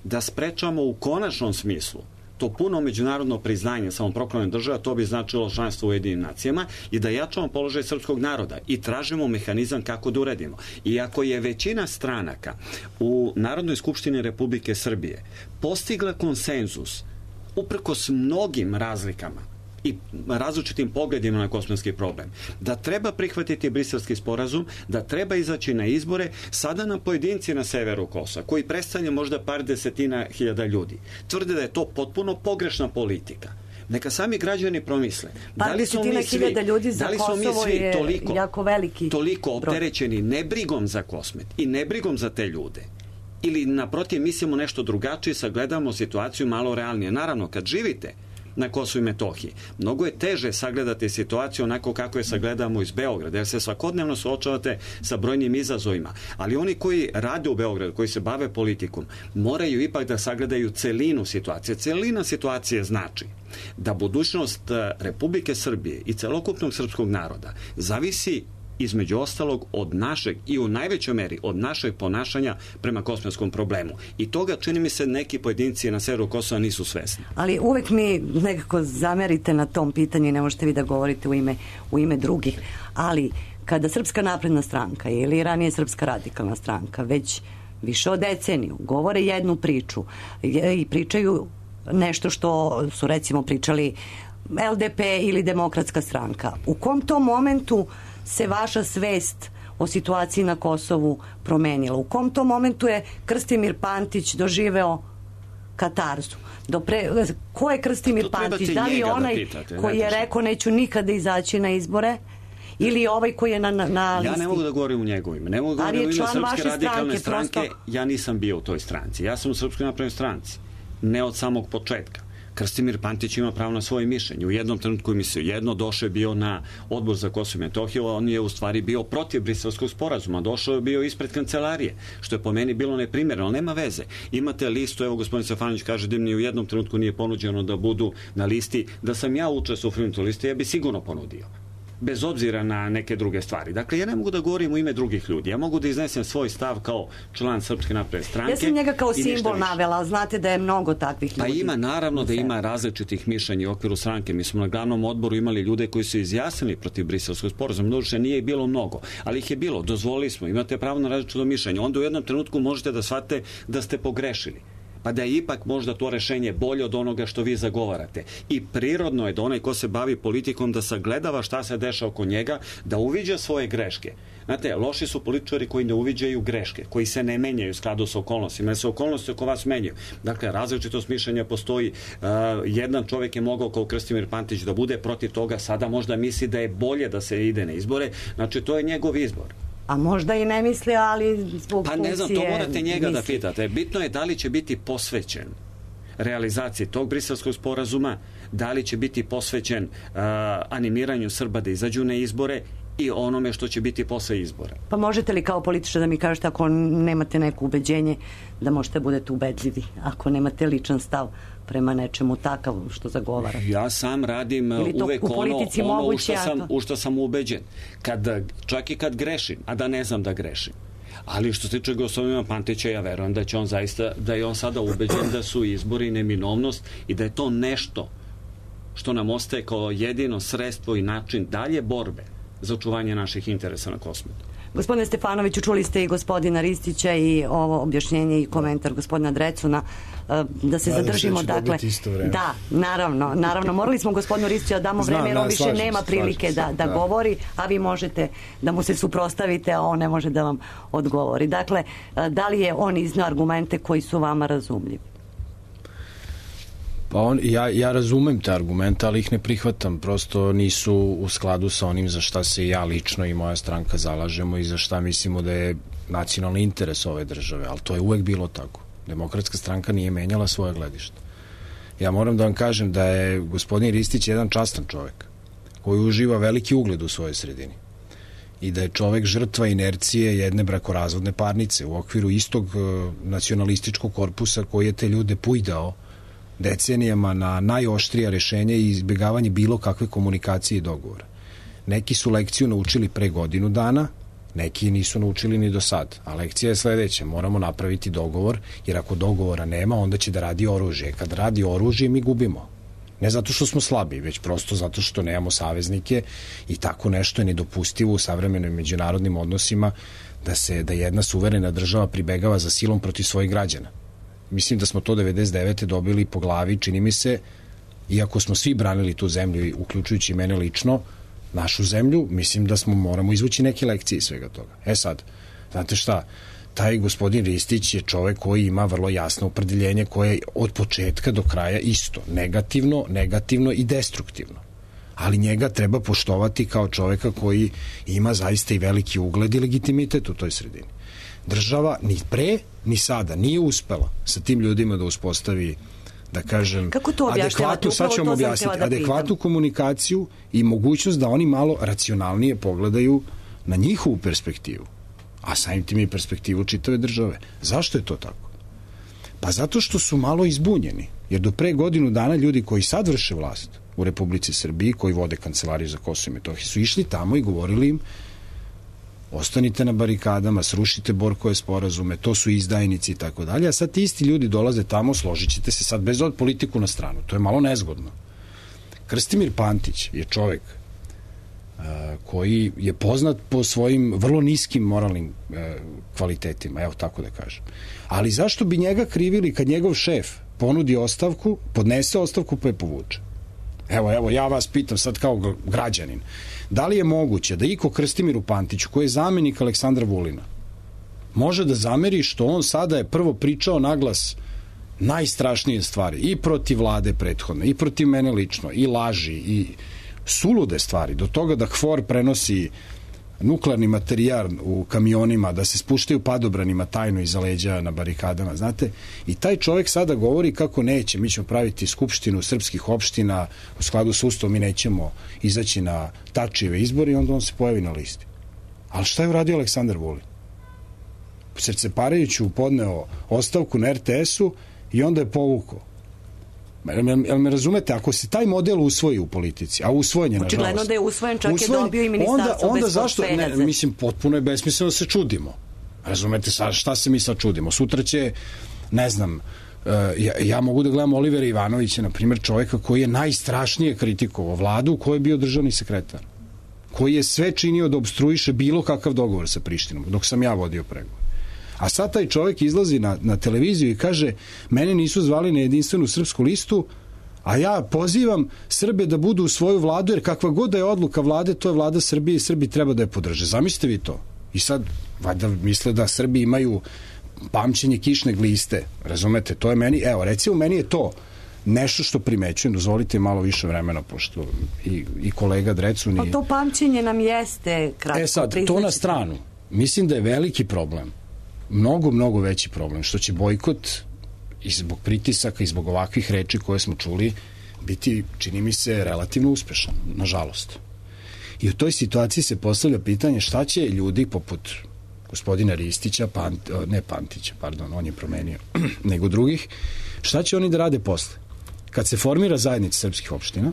da sprečamo u konačnom smislu to puno međunarodno priznanje samoproklamljene države, to bi značilo članstvo u Ujedinjenim nacijama, i da jačamo položaj srpskog naroda i tražimo mehanizam kako da uredimo. I ako je većina stranaka u Narodnoj skupštini Republike Srbije postigla konsenzus uprkos mnogim razlikama i različitim pogledima na kosovski problem, da treba prihvatiti Briselski sporazum, da treba izaći na izbore, sada nam pojedinci na severu Kosova, koji predstavlja možda par desetina hiljada ljudi, tvrde da je to potpuno pogrešna politika. Neka sami građani promisle. Par da li smo mi svi, ljudi za da li smo mi Kosovo svi je toliko, jako veliki toliko broj. opterećeni nebrigom za Kosmet i nebrigom za te ljude, Ili naprotiv mislimo nešto drugačije, sagledamo situaciju malo realnije. Naravno, kad živite na Kosovu i Metohiji, mnogo je teže sagledati situaciju onako kako je sagledamo iz Beograda, jer se svakodnevno suočavate sa brojnim izazovima. Ali oni koji rade u Beogradu, koji se bave politikom, moraju ipak da sagledaju celinu situacije. Celina situacije znači da budućnost Republike Srbije i celokupnog srpskog naroda zavisi između ostalog od našeg i u najvećoj meri od našeg ponašanja prema kosmetskom problemu. I toga, čini mi se, neki pojedinci na severu Kosova nisu svesni. Ali uvek mi nekako zamerite na tom pitanju i ne možete vi da govorite u ime, u ime drugih. Ali kada Srpska napredna stranka ili ranije Srpska radikalna stranka već više od deceniju govore jednu priču i pričaju nešto što su recimo pričali L D P ili Demokratska stranka, u kom tom momentu se vaša svest o situaciji na Kosovu promenila? U kom tom momentu je Krstimir Pantić doživeo katarzu? Do pre... Ko je Krstimir Pantić? Da li je onaj da pitate, koji je rekao neću nikada izaći na izbore? Ili ovaj koji je na, na, na listi? Ja ne mogu da govorim u njegovo ime. Ne mogu da govorim u ime Srpske radikalne stranke. Prosto... Ja nisam bio u toj stranci. Ja sam u Srpskoj naprednoj stranci. Ne od samog početka. Krstimir Pantić ima pravo na svoje mišljenje. U jednom trenutku mislio jedno, došao je bio na Odbor za Kosovo i Metohiju, a on je u stvari bio protiv Briselskog sporazuma. Došao je bio ispred kancelarije, što je po meni bilo neprimjereno, ali nema veze. Imate listu, evo gospodin Stefanović kaže da im ni u jednom trenutku nije ponuđeno da budu na listi. Da sam ja učestvovao u toj listi, ja bi sigurno ponudio. Bez obzira na neke druge stvari. Dakle, ja ne mogu da govorim u ime drugih ljudi. Ja mogu da iznesem svoj stav kao član Srpske napredne stranke. Ja sam njega kao simbol navela, ali znate da je mnogo takvih ljudi. Pa ima, naravno da ima različitih mišljenja u okviru stranke. Mi smo na glavnom odboru imali ljude koji su izjasnili protiv Briselskog sporazuma. Doduše nije bilo mnogo, ali ih je bilo. Dozvolili smo. Imate pravo na različito mišljenje. Onda u jednom trenutku možete da shvatite da ste pogrešili. Pa da je ipak možda to rešenje bolje od onoga što vi zagovarate. I prirodno je da onaj ko se bavi politikom da sagledava šta se dešava oko njega, da uviđa svoje greške. Znate, loši su političari koji ne uviđaju greške, koji se ne menjaju u skladu sa okolnostima, jer se okolnosti oko vas menjaju. Dakle, različitost mišljenja postoji. Uh, jedan čovjek je mogao kao Krstimir Pantić da bude protiv toga, sada možda misli da je bolje da se ide na izbore. Znači, to je njegov izbor. A možda i ne misli, ali zbog pa ne znam, to morate njega misli. Da pitate. Bitno je da li će biti posvećen realizaciji tog Briselskog sporazuma, da li će biti posvećen uh, animiranju Srba da izađu na izbore i onome što će biti posle izbora. Pa možete li kao političar da mi kažete, ako nemate neko ubeđenje, da možete budete ubedljivi, ako nemate ličan stav prema nečemu takav što zagovara? Ja sam radim uvek ono, ono u, što sam, u što sam ubeđen. Kad, čak i kad grešim, a da ne znam da grešim. Ali što se tiče gospodina Pantića, ja verujem da će on zaista, da je on sada ubeđen da su izbori neminovnost i da je to nešto što nam ostaje kao jedino sredstvo i način dalje borbe za očuvanje naših interesa na kosmetu. Gospodine Stefanoviću, čuli ste i gospodina Ristića i ovo objašnjenje i komentar gospodina Drecuna, da se zadržimo, dakle, da, naravno, naravno, morali smo gospodinu Ristiću da damo vreme, jer on više nema prilike da, da govori, a vi možete da mu se suprotstavite, a on ne može da vam odgovori. Dakle, da li je on izneo argumente koji su vama razumljivi? Pa on, ja, ja razumem te argumente, ali ih ne prihvatam. Prosto nisu u skladu sa onim za šta se ja lično i moja stranka zalažemo i za šta mislimo da je nacionalni interes ove države. Ali to je uvek bilo tako. Demokratska stranka nije menjala svoje gledište. Ja moram da vam kažem da je gospodin Ristić jedan častan čovek koji uživa veliki ugled u svojoj sredini i da je čovek žrtva inercije jedne brakorazvodne parnice u okviru istog uh, nacionalističkog korpusa koji je te ljude pujdao decenijama na najoštrija rešenja i izbjegavanje bilo kakve komunikacije i dogovora. Neki su lekciju naučili pre godinu dana, neki nisu naučili ni do sad. A lekcija je sledeća, moramo napraviti dogovor, jer ako dogovora nema, onda će da radi oružje. Kad radi oružje, mi gubimo. Ne zato što smo slabi, već prosto zato što nemamo saveznike i tako nešto je nedopustivo u savremenim međunarodnim odnosima da se da jedna suverena država pribegava za silom protiv svojih građana. Mislim da smo to devedeset devete dobili po glavi, čini mi se, iako smo svi branili tu zemlju, uključujući mene lično, našu zemlju, mislim da smo moramo izvući neke lekcije iz svega toga. E sad, znate šta, taj gospodin Ristić je čovek koji ima vrlo jasno opredeljenje koje je od početka do kraja isto, negativno, negativno i destruktivno. Ali njega treba poštovati kao čoveka koji ima zaista i veliki ugled i legitimitet u toj sredini. Država ni pre, ni sada nije uspela sa tim ljudima da uspostavi, da kažem, Kako to objašnjavate? adekvatnu, sad ću vam Upravo to sam objasniti, htjela da adekvatnu pitam. komunikaciju i mogućnost da oni malo racionalnije pogledaju na njihovu perspektivu, a samim tim i perspektivu čitave države. Zašto je to tako? Pa zato što su malo izbunjeni, jer do pre godinu dana ljudi koji sad vrše vlast u Republici Srbiji, koji vode Kancelariju za Kosovo i Metohiju, su išli tamo i govorili im: ostanite na barikadama, srušite Borkove sporazume, to su izdajnici i tako dalje, a sad ti isti ljudi dolaze tamo, složit ćete se sad bez od politiku na stranu. To je malo nezgodno. Krstimir Pantić je čovek uh, koji je poznat po svojim vrlo niskim moralnim uh, kvalitetima, evo tako da kažem. Ali zašto bi njega krivili kad njegov šef ponudi ostavku, podnese ostavku pa je povuče? Evo, evo, ja vas pitam sad kao građanin, da li je moguće da iko Krstimiru Pantiću, koji je zamenik Aleksandra Vulina, može da zameri što on sada je prvo pričao naglas najstrašnije stvari i protiv vlade prethodne, i protiv mene lično, i laži, i sulude stvari, do toga da H F O R prenosi nuklearni materijal u kamionima, da se spuštaju padobranima tajno iza leđa na barikadama, znate, i taj čovjek sada govori kako neće, mi ćemo praviti skupštinu srpskih opština u skladu s Ustavom, mi nećemo izaći na Tačijeve izbore, i onda on se pojavi na listi. Ali šta je uradio Aleksandar Vulin? Srce Parajuću podneo ostavku na R T S-u i onda je povukao. Jel me razumete? Ako se taj model usvoji u politici, a usvojen je, nažalost. Očigledno da je usvojen, čak usvojen, je dobio i ministarstvo onda, onda bez zašto, portfelja. ne, mislim, potpuno je besmisleno da se čudimo. Razumete, sa, šta se mi sad čudimo? Sutra će, ne znam, uh, ja, ja mogu da gledam Olivera Ivanovića, na primjer, čovjeka koji je najstrašnije kritikovao vladu, koji je bio državni sekretar, koji je sve činio da obstruiše bilo kakav dogovor sa Prištinom, dok sam ja vodio pregovor. A sad taj čovjek izlazi na, na televiziju i kaže: mene nisu zvali na Jedinstvenu srpsku listu, a ja pozivam Srbe da budu u svoju vladu, jer kakva god da je odluka vlade, to je vlada Srbije i Srbi treba da je podrže. Zamislite vi to. I sad, valjda misle da Srbi imaju pamćenje kišne gliste. Razumete, to je meni, evo, recimo, meni je to nešto što primećujem, dozvolite malo više vremena, pošto i, i kolega Drecun i... Pa to pamćenje nam jeste kratko. E sad, to na stranu. Mislim da je veliki problem, mnogo, mnogo veći problem, što će bojkot i zbog pritisaka i zbog ovakvih reči koje smo čuli biti, čini mi se, relativno uspešan, nažalost. I u toj situaciji se postavlja pitanje šta će ljudi poput gospodina Ristića, Pant, ne Pantića, pardon, on je promenio, nego drugih, šta će oni da rade posle? Kad se formira zajednica srpskih opština,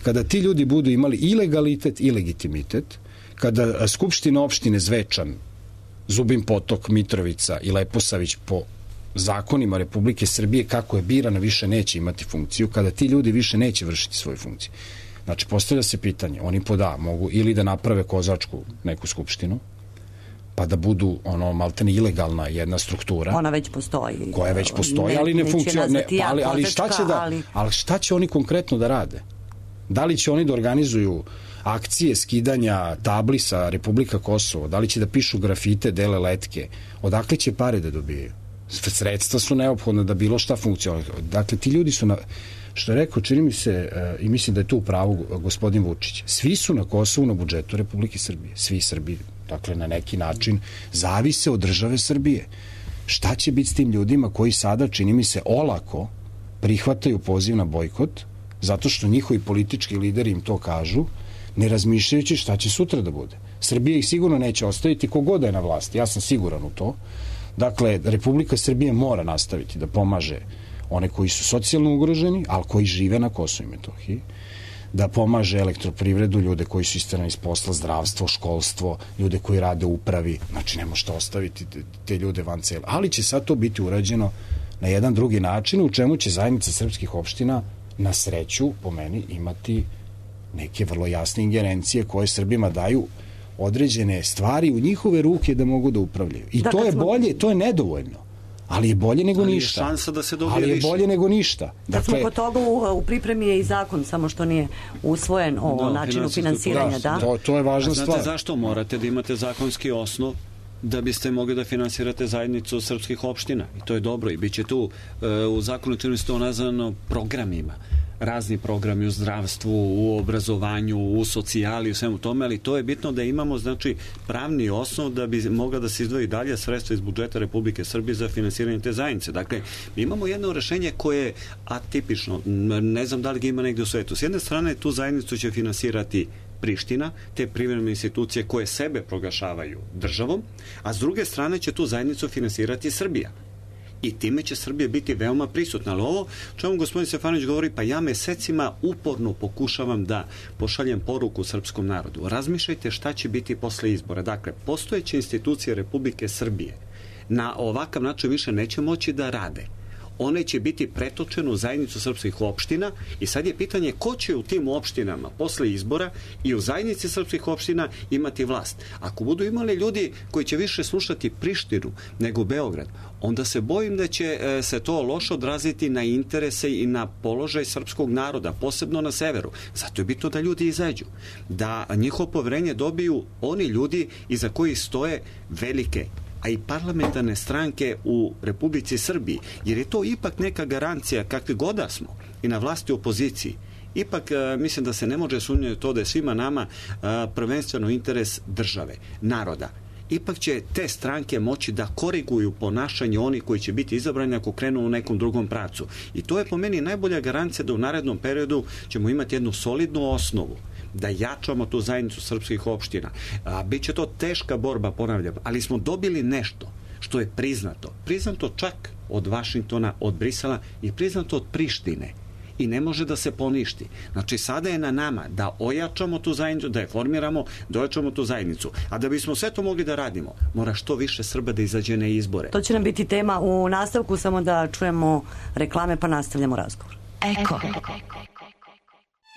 kada ti ljudi budu imali i legalitet i legitimitet, kada Skupština opštine Zvečan, Zubin Potok, Mitrovica i Leposavić po zakonima Republike Srbije kako je birana više neće imati funkciju, kada ti ljudi više neće vršiti svoju funkciju. Znači, postavlja se pitanje, oni poda mogu ili da naprave kozačku neku skupštinu, pa da budu ono maltene ilegalna jedna struktura. Ona već postoji. Koja već postoji, ne, ali ne funkcionira. Ali, ali, šta će da, ali... ali šta će oni konkretno da rade? Da li će oni da organizuju akcije skidanja tabli sa Republika Kosovo? Da li će da pišu grafite, dele letke? Odakle će pare da dobijaju? Sredstva su neophodna da bilo šta funkcionira. Dakle, ti ljudi su na... Što je rekao, čini mi se, uh, i mislim da je tu u pravu gospodin Vučić, svi su na Kosovu na budžetu Republike Srbije. Svi Srbi, dakle, na neki način zavise od države Srbije. Šta će biti s tim ljudima koji sada, čini mi se, olako prihvataju poziv na bojkot, zato što njihovi politički lideri im to kažu, ne razmišljajući šta će sutra da bude. Srbija ih sigurno neće ostaviti kogod je na vlasti, ja sam siguran u to. Dakle, Republika Srbije mora nastaviti da pomaže one koji su socijalno ugroženi, ali koji žive na Kosovu i Metohiji, da pomaže elektroprivredu, ljude koji su isterani iz posla, zdravstvo, školstvo, ljude koji rade u upravi, znači ne možete ostaviti te, te ljude van cele. Ali će sad to biti urađeno na jedan drugi način, u čemu će zajednica srpskih opština na sreću, po meni, imati neke vrlo jasne ingerencije koje Srbima daju određene stvari u njihove ruke da mogu da upravljaju. I da, to je smo... bolje, to je nedovoljno. Ali je bolje nego ali ništa. Je šansa da se dobije ali je više. bolje nego ništa. Dakle, dakle, smo kod toga u, u pripremi je i zakon, samo što nije usvojen o no, načinu finansiranja. Da, to, to je važna znate stvar. Znate zašto morate da imate zakonski osnov da biste mogli da finansirate zajednicu srpskih opština? I to je dobro i bit će tu uh, u zakonu čini se to nazvano programima. razni programi u zdravstvu, u obrazovanju, u socijali, u svemu tome, ali to je bitno da imamo, znači, pravni osnov da bi mogla da se izdvoji dalje sredstva iz budžeta Republike Srbije za finansiranje te zajednice. Dakle, mi imamo jedno rešenje koje je atipično, ne znam da li ga ima negde u svetu. S jedne strane, tu zajednicu će finansirati Priština, te privremene institucije koje sebe proglašavaju državom, a s druge strane će tu zajednicu finansirati Srbija. I time će Srbija biti veoma prisutna. Ali ovo, čemu gospodin Stefanović govori, pa ja mesecima uporno pokušavam da pošaljem poruku srpskom narodu. Razmišljajte šta će biti posle izbora. Dakle, postojeće institucije Republike Srbije na ovakav način više neće moći da rade. One će biti pretočene u zajednicu srpskih opština i sad je pitanje ko će u tim opštinama posle izbora i u zajednici srpskih opština imati vlast. Ako budu imali ljudi koji će više slušati Prištinu nego Beograd, onda se bojim da će e, se to loše odraziti na interese i na položaj srpskog naroda, posebno na severu. Zato je bitno da ljudi izađu, da njihovo poverenje dobiju oni ljudi iza kojih stoje velike a i parlamentarne stranke u Republici Srbiji, jer je to ipak neka garancija kakvi god da smo i na vlasti opoziciji. Ipak mislim da se ne može sumnjati to da je svima nama prvenstveno interes države, naroda. Ipak će te stranke moći da koriguju ponašanje onih koji će biti izabrani ako krenu u nekom drugom pravcu. I to je po meni najbolja garancija da u narednom periodu ćemo imati jednu solidnu osnovu da jačamo tu zajednicu srpskih opština. A, biće to teška borba, ponavljam, ali smo dobili nešto što je priznato. Priznato čak od Vašingtona, od Brisela i priznato od Prištine. I ne može da se poništi. Znači, sada je na nama da ojačamo tu zajednicu, da je formiramo, da ojačamo tu zajednicu. A da bismo sve to mogli da radimo, mora što više Srba da izađe na izbore. To će nam biti tema u nastavku, samo da čujemo reklame pa nastavljamo razgovor. Eko.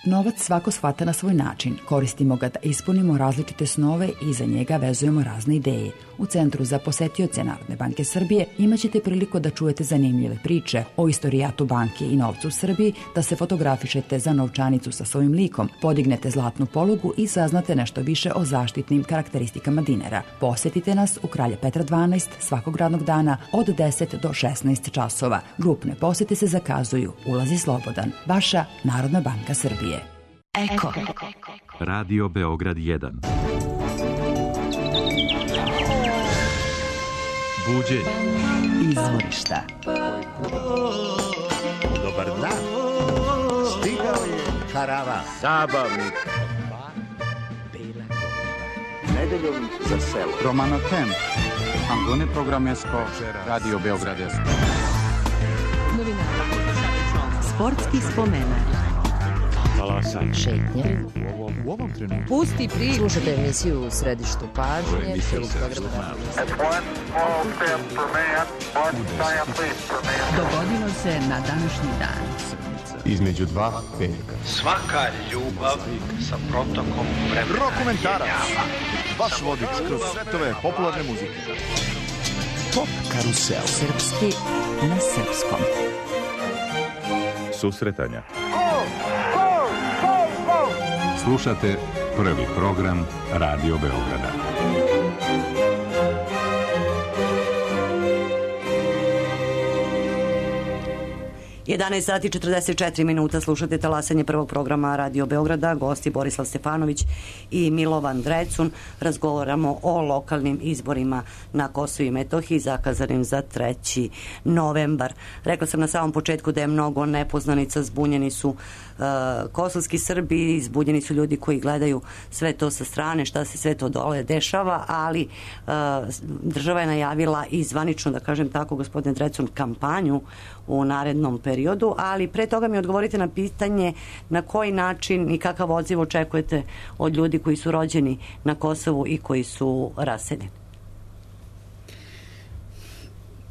Novac svako shvata na svoj način. Koristimo ga da ispunimo različite snove i za njega vezujemo razne ideje. U Centru za posetioce Narodne banke Srbije imaćete priliku da čujete zanimljive priče o istorijatu banke i novcu u Srbiji, da se fotografišete za novčanicu sa svojim likom, podignete zlatnu polugu i saznate nešto više o zaštitnim karakteristikama dinara. Posetite nas u Kralja Petra dvanaest svakog radnog dana od deset do šesnaest časova. Grupne posete se zakazuju. Ulazi slobodan. Vaša Narodna banka Srbije. Eko. Radio Beograd jedan. Buđenje. Izvorišta. Dobar dan. Stigao je karavan. Zabavnik. Nedeljom za selo. Romano Kemp. Angone Programesko. Radio Beograd jedan. Sportski spomenak. Talasanje. Šetnje. U ovom trenutku. Pusti priču. Slušajte emisiju u središtu pažnje. Dogodilo se na današnji dan. Između dva petka. Svaka ljubav sa protokom vremena. Rokomentarac. Vaš vodič kroz svetove popularne muzike. Top karusel. Srpski na srpskom. Susretanja. Slušate prvi program Radio Beograda. jedanaest sati četrdeset četiri minuta, slušate talasanje prvog programa Radio Beograda, gosti Borislav Stefanović i Milovan Drecun. Razgovaramo o lokalnim izborima na Kosovu i Metohiji zakazanim za treći novembar. Rekla sam na samom početku da je mnogo nepoznanica, zbunjeni su uh, kosovski Srbi, zbunjeni su ljudi koji gledaju sve to sa strane, šta se sve to dole dešava, ali uh, država je najavila i zvanično, da kažem tako, gospodine Drecun, kampanju u narednom periodu, ali pre toga mi odgovorite na pitanje na koji način i kakav odziv očekujete od ljudi koji su rođeni na Kosovu i koji su raseljeni.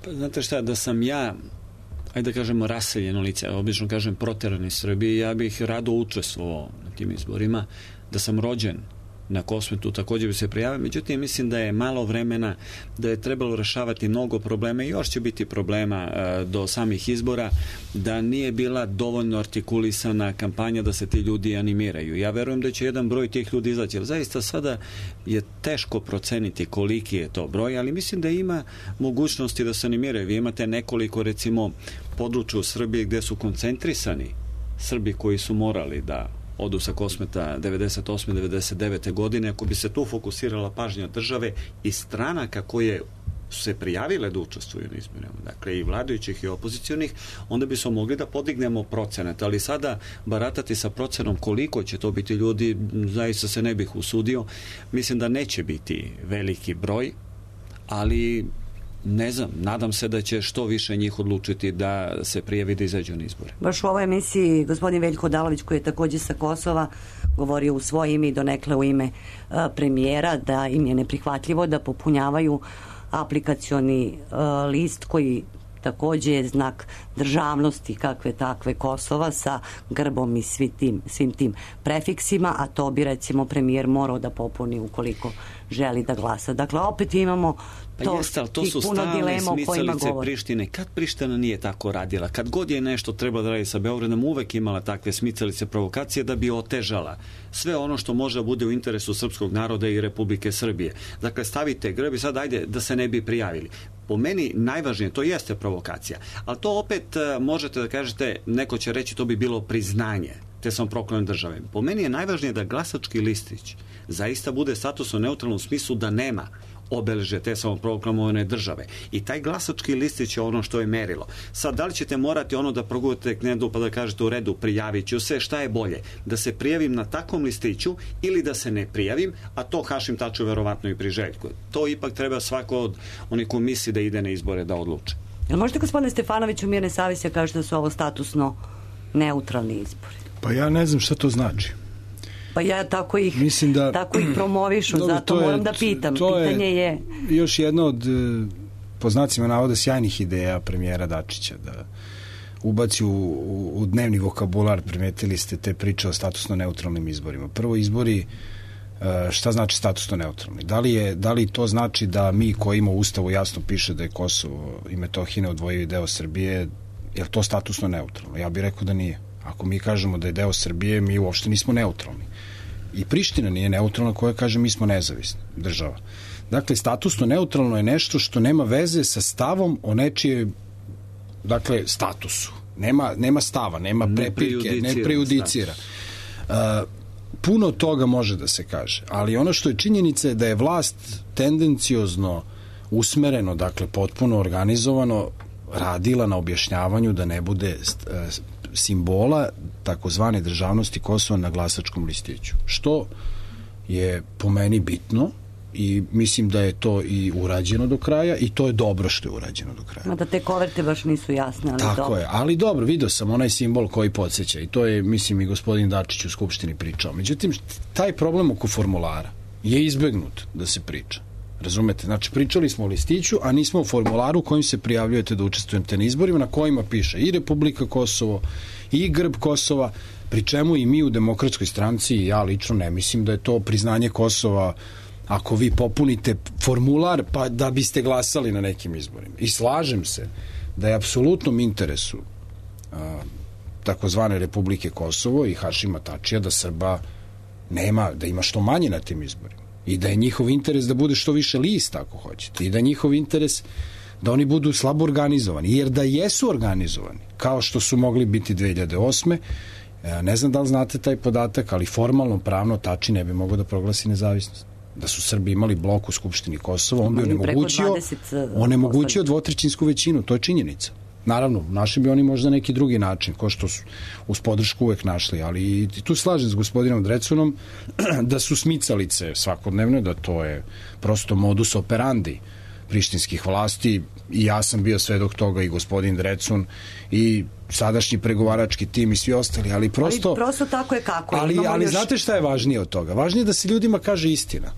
Pa, znate šta, da sam ja, ajde da kažemo raseljeno lice, obično kažem proterani Srbiji, ja bih rado učestvovao na tim izborima. Da sam rođen na Kosmetu također bi se prijavio, međutim mislim da je malo vremena, da je trebalo rešavati mnogo problema i još će biti problema e, do samih izbora, da nije bila dovoljno artikulisana kampanja da se ti ljudi animiraju. Ja verujem da će jedan broj tih ljudi izaći, jer zaista sada je teško proceniti koliki je to broj, ali mislim da ima mogućnosti da se animiraju. Vi imate nekoliko recimo područja u Srbiji gde su koncentrisani Srbi koji su morali da odu sa Kosmeta devedeset osme devedeset devete godine, ako bi se tu fokusirala pažnja države i stranaka koje su se prijavile da učestvuju na izborima, dakle i vladajućih i opozicionih, onda bi smo mogli da podignemo procenat, ali sada baratati sa procenom koliko će to biti ljudi, zaista se ne bih usudio. Mislim da neće biti veliki broj, ali ne znam, nadam se da će što više njih odlučiti da se prijavi da izađu na izbore. Baš u ovoj emisiji gospodin Veljko Odalović, koji je takođe sa Kosova, govorio u svoje ime i donekle u ime a, premijera, da im je neprihvatljivo da popunjavaju aplikacioni a, list koji takođe je znak državnosti kakve takve Kosova sa grbom i svi tim, svim tim prefiksima, a to bi recimo premijer morao da popuni ukoliko želi da glasa. Dakle, opet imamo to, pa jeste, ali to su stalne smicalice Prištine. Kad Priština nije tako radila? Kad god je nešto treba da radi sa Beogradom, uvek imala takve smicalice provokacije da bi otežala sve ono što može da bude u interesu srpskog naroda i Republike Srbije. Dakle, stavite grb i sad ajde da se ne bi prijavili. Po meni najvažnije, to jeste provokacija, ali to opet možete da kažete, neko će reći to bi bilo priznanje te samoproklamne države. Po meni je najvažnije da glasački listić zaista bude statusno neutralnom smislu, da nema obeležje te samoproklamovane države. I taj glasački listić je ono što je merilo. Sad, da li ćete morati ono da progujete knedu pa da kažete u redu, prijavit ću se, šta je bolje? Da se prijavim na takvom listiću ili da se ne prijavim, a to Hašim Taču verovatno i priželjkuje. To ipak treba svako od onih komisiji da ide na izbore da odluče. Jel možete, gospodine Stefanoviću, mirne savjesti kažete da su ovo statusno neutralni izbori? Pa ja ne znam šta to znači. Pa ja tako ih, Mislim da, tako ih promovišu, dobro, zato je, moram da pitam. Pitanje je, je... još jedno od, po znacima navoda, sjajnih ideja premijera Dačića, da ubaci u, u, u dnevni vokabular, primetili ste te priče o statusno neutralnim izborima. Prvo, izbori, šta znači statusno neutralni? Da li, je, da li to znači da mi koji ima u Ustavu jasno piše da je Kosovo i Metohija neodvojivi deo Srbije, je li to statusno neutralno? Ja bih rekao da nije. Ako mi kažemo da je deo Srbije, mi uopšte nismo neutralni. I Priština nije neutralna koja kaže mi smo nezavisna država. Dakle, statusno neutralno je nešto što nema veze sa stavom o nečije, dakle, statusu. Nema, nema stava, nema prepirke, ne prejudicira. Uh, puno toga može da se kaže, ali ono što je činjenica je da je vlast tendenciozno usmereno, dakle, potpuno organizovano radila na objašnjavanju da ne bude simbola takozvane državnosti Kosova na glasačkom listiću. Što je po meni bitno i mislim da je to i urađeno do kraja i to je dobro što je urađeno do kraja. Da te koverte baš nisu jasne, ali tako dobro. je, ali dobro, vidio sam onaj simbol koji podsjeća i to je, mislim, i gospodin Dačić u Skupštini pričao. Međutim, taj problem oko formulara je izbegnut da se priča. Razumete? Znači, pričali smo o listiću, a nismo o formularu kojim se prijavljujete da učestvujete na izborima, na kojima piše i Republika Kosovo, i grb Kosova, pri čemu i mi u Demokratskoj stranci, i ja lično ne mislim da je to priznanje Kosova ako vi popunite formular pa da biste glasali na nekim izborima. I slažem se da je apsolutnom interesu a, takozvane Republike Kosovo i Hašima Tačija da Srba nema, da ima što manje na tim izborima. I da je njihov interes da bude što više lista, ako hoćete. I da je njihov interes da oni budu slabo organizovani. Jer da jesu organizovani, kao što su mogli biti dve hiljade osme, ne znam da li znate taj podatak, ali formalno, pravno Tači ne bi mogao da proglasi nezavisnost. Da su Srbi imali blok u Skupštini Kosova, on bi onemogućio, onemogućio dvotrećinsku većinu. To je činjenica. Naravno, našli bi oni možda neki drugi način, ko što su uz podršku uvek našli, ali i tu slažem s gospodinom Drecunom da su smicalice svakodnevne, da to je prosto modus operandi prištinskih vlasti i ja sam bio svedok toga i gospodin Drecun i sadašnji pregovarački tim i svi ostali, ali prosto... Ali prosto tako je kako. Ali, ali još... znate šta je važnije od toga? Važnije je da se ljudima kaže istina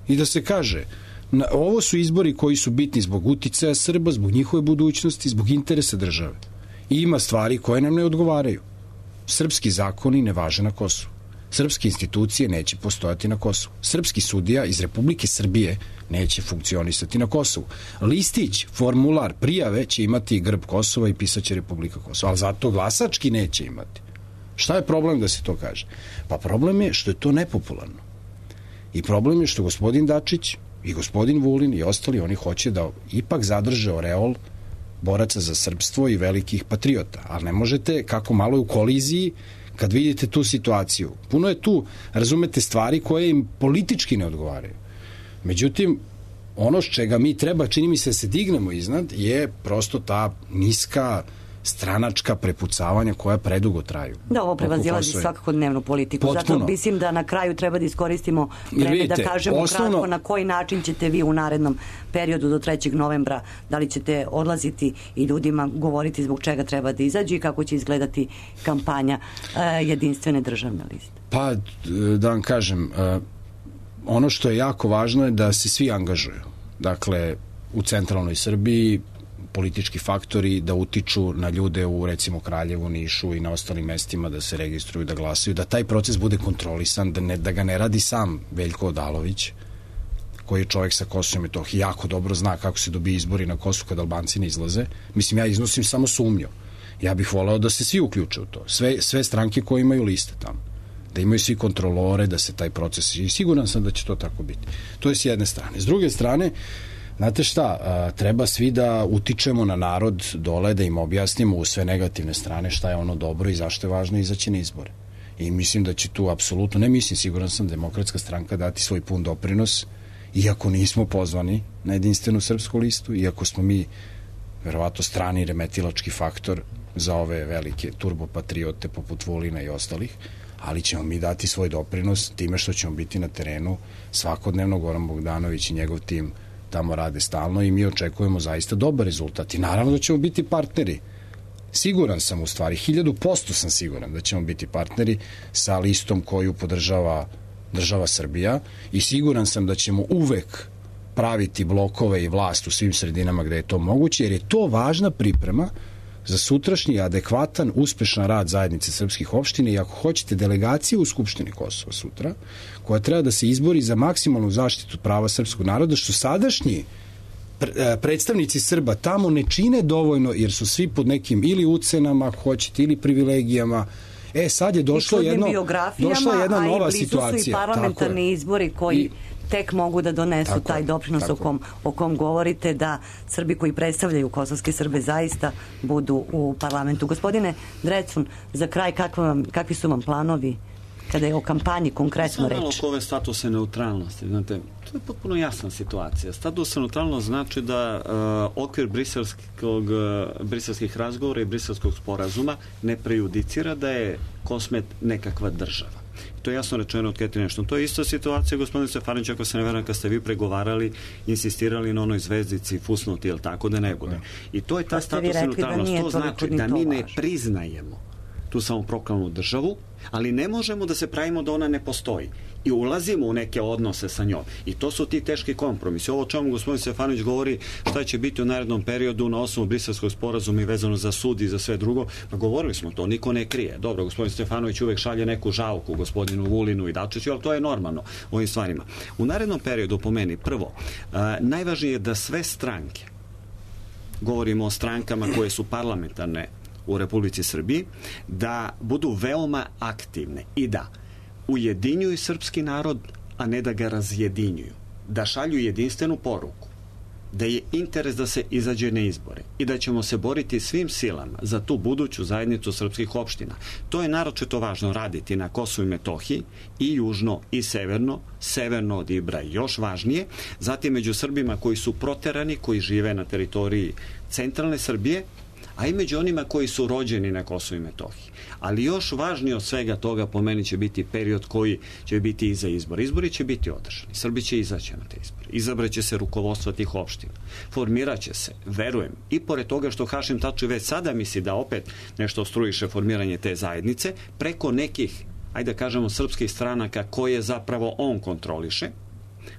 i da se kaže na, ovo su izbori koji su bitni zbog uticaja Srba, zbog njihove budućnosti, zbog interesa države. I ima stvari koje nam ne odgovaraju. Srpski zakoni ne važe na Kosovu. Srpske institucije neće postojati na Kosovu. Srpski sudija iz Republike Srbije neće funkcionisati na Kosovu. Listić, formular, prijave će imati grb Kosova i pisaće Republika Kosova, ali zato glasački neće imati. Šta je problem da se to kaže? Pa problem je što je to nepopularno. I problem je što gospodin Dačić i gospodin Vulin i ostali, oni hoće da ipak zadrže oreol boraca za srpstvo i velikih patriota. Ali ne možete, kako malo je u koliziji, kad vidite tu situaciju. Puno je tu, razumete, stvari koje im politički ne odgovaraju. Međutim, ono s čega mi treba, čini mi se, da se dignemo iznad, je prosto ta niska stranačka prepucavanja koja predugo traju. Da, ovo prevazilazi svakako dnevnu politiku. Potpuno. Zato mislim da na kraju treba da iskoristimo vreme vidite, da kažemo osnovno... kratko na koji način ćete vi u narednom periodu do trećeg novembra, da li ćete odlaziti i ljudima govoriti zbog čega treba da izađu i kako će izgledati kampanja uh, jedinstvene državne liste. Pa, da vam kažem, uh, ono što je jako važno je da se svi angažuju. Dakle, u centralnoj Srbiji politički faktori da utiču na ljude u, recimo, Kraljevu, Nišu i na ostalim mestima da se registruju, da glasaju, da taj proces bude kontrolisan, da, ne, da ga ne radi sam Veljko Odalović, koji je čovjek sa Kosova i Metohije, jako dobro zna kako se dobije izbori na Kosovu kad Albanci ne izlaze. Mislim, ja iznosim samo sumnju. Ja bih voleo da se svi uključe u to. Sve, sve stranke koje imaju liste tamo. Da imaju svi kontrolore, da se taj proces... I siguran sam da će to tako biti. To je s jedne strane. S druge strane, znate šta, a, treba svi da utičemo na narod dole, da im objasnimo u sve negativne strane šta je ono dobro i zašto je važno izaći na izbore. I mislim da će tu apsolutno, ne mislim, siguran sam, Demokratska stranka dati svoj pun doprinos, iako nismo pozvani na jedinstvenu srpsku listu, iako smo mi verovatno strani remetilački faktor za ove velike turbopatriote poput Vulina i ostalih, ali ćemo mi dati svoj doprinos time što ćemo biti na terenu svakodnevno. Goran Bogdanović i njegov tim tamo rade stalno i mi očekujemo zaista dobar rezultat. I naravno da ćemo biti partneri. Siguran sam, u stvari, hiljadu posto sam siguran da ćemo biti partneri sa listom koju podržava država Srbija i siguran sam da ćemo uvek praviti blokove i vlast u svim sredinama gde je to moguće, jer je to važna priprema za sutrašnji adekvatan, uspešan rad zajednice srpskih opština i ako hoćete delegaciju u Skupštini Kosova sutra, koja treba da se izbori za maksimalnu zaštitu prava srpskog naroda, što sadašnji predstavnici Srba tamo ne čine dovoljno, jer su svi pod nekim ili ucenama, ako hoćete, ili privilegijama. E, sad je došlo jedno, došla jedna nova situacija. A i blizu su i parlamentarni izbori koji I, tek mogu da donesu tako, taj doprinos o kom, o kom govorite, da Srbi koji predstavljaju kosovske Srbe zaista budu u parlamentu. Gospodine Drecun, za kraj, vam, kakvi su vam planovi kada je o kampanji konkretno reč? Samo oko ove statuse neutralnosti. Znate, to je potpuno jasna situacija. Status neutralnost znači da uh, okvir briselskog, uh, briselskih razgovora i briselskog sporazuma ne prejudicira da je Kosmet nekakva država. To je jasno rečeno od Ketine Ešton. To je ista situacija, gospodin Stefanović, ako se ne veram, kad ste vi pregovarali, insistirali na onoj zvezdici fusnuti, jel tako, da ne bude. I to je ta status neutralnost. To znači da mi ne priznajemo tu samoproklamnu državu, ali ne možemo da se pravimo da ona ne postoji. I ulazimo u neke odnose sa njom. I to su ti teški kompromisi. Ovo o čemu gospodin Stefanović govori šta će biti u narednom periodu na osnovu briselskog sporazuma i vezano za sud i za sve drugo, pa govorili smo to, niko ne krije. Dobro, gospodin Stefanović uvek šalje neku žalku gospodinu Vulinu i Dačiću, ali to je normalno u ovim stvarima. U narednom periodu, po meni, prvo, a, najvažnije je da sve stranke, govorimo o strankama koje su parlamentarne u Republici Srbiji, da budu veoma aktivne i da ujedinjuju srpski narod, a ne da ga razjedinjuju. Da šalju jedinstvenu poruku, da je interes da se izađe na izbore i da ćemo se boriti svim silama za tu buduću zajednicu srpskih opština. To je naročito važno raditi na Kosovu i Metohiji, i južno i severno, severno od Ibra još važnije, zatim među Srbima koji su proterani, koji žive na teritoriji centralne Srbije, a i među onima koji su rođeni na Kosovu i Metohiji. Ali još važnije od svega toga, po meni, će biti period koji će biti iza izbora. Izbori će biti održani. Srbi će izaći na te izbore. Izabraće se rukovodstvo tih opština. Formiraće se, verujem, i pored toga što Hašim Tači već sada misli da opet nešto ostrujiše formiranje te zajednice, preko nekih, ajde da kažemo, srpskih stranaka koje zapravo on kontroliše,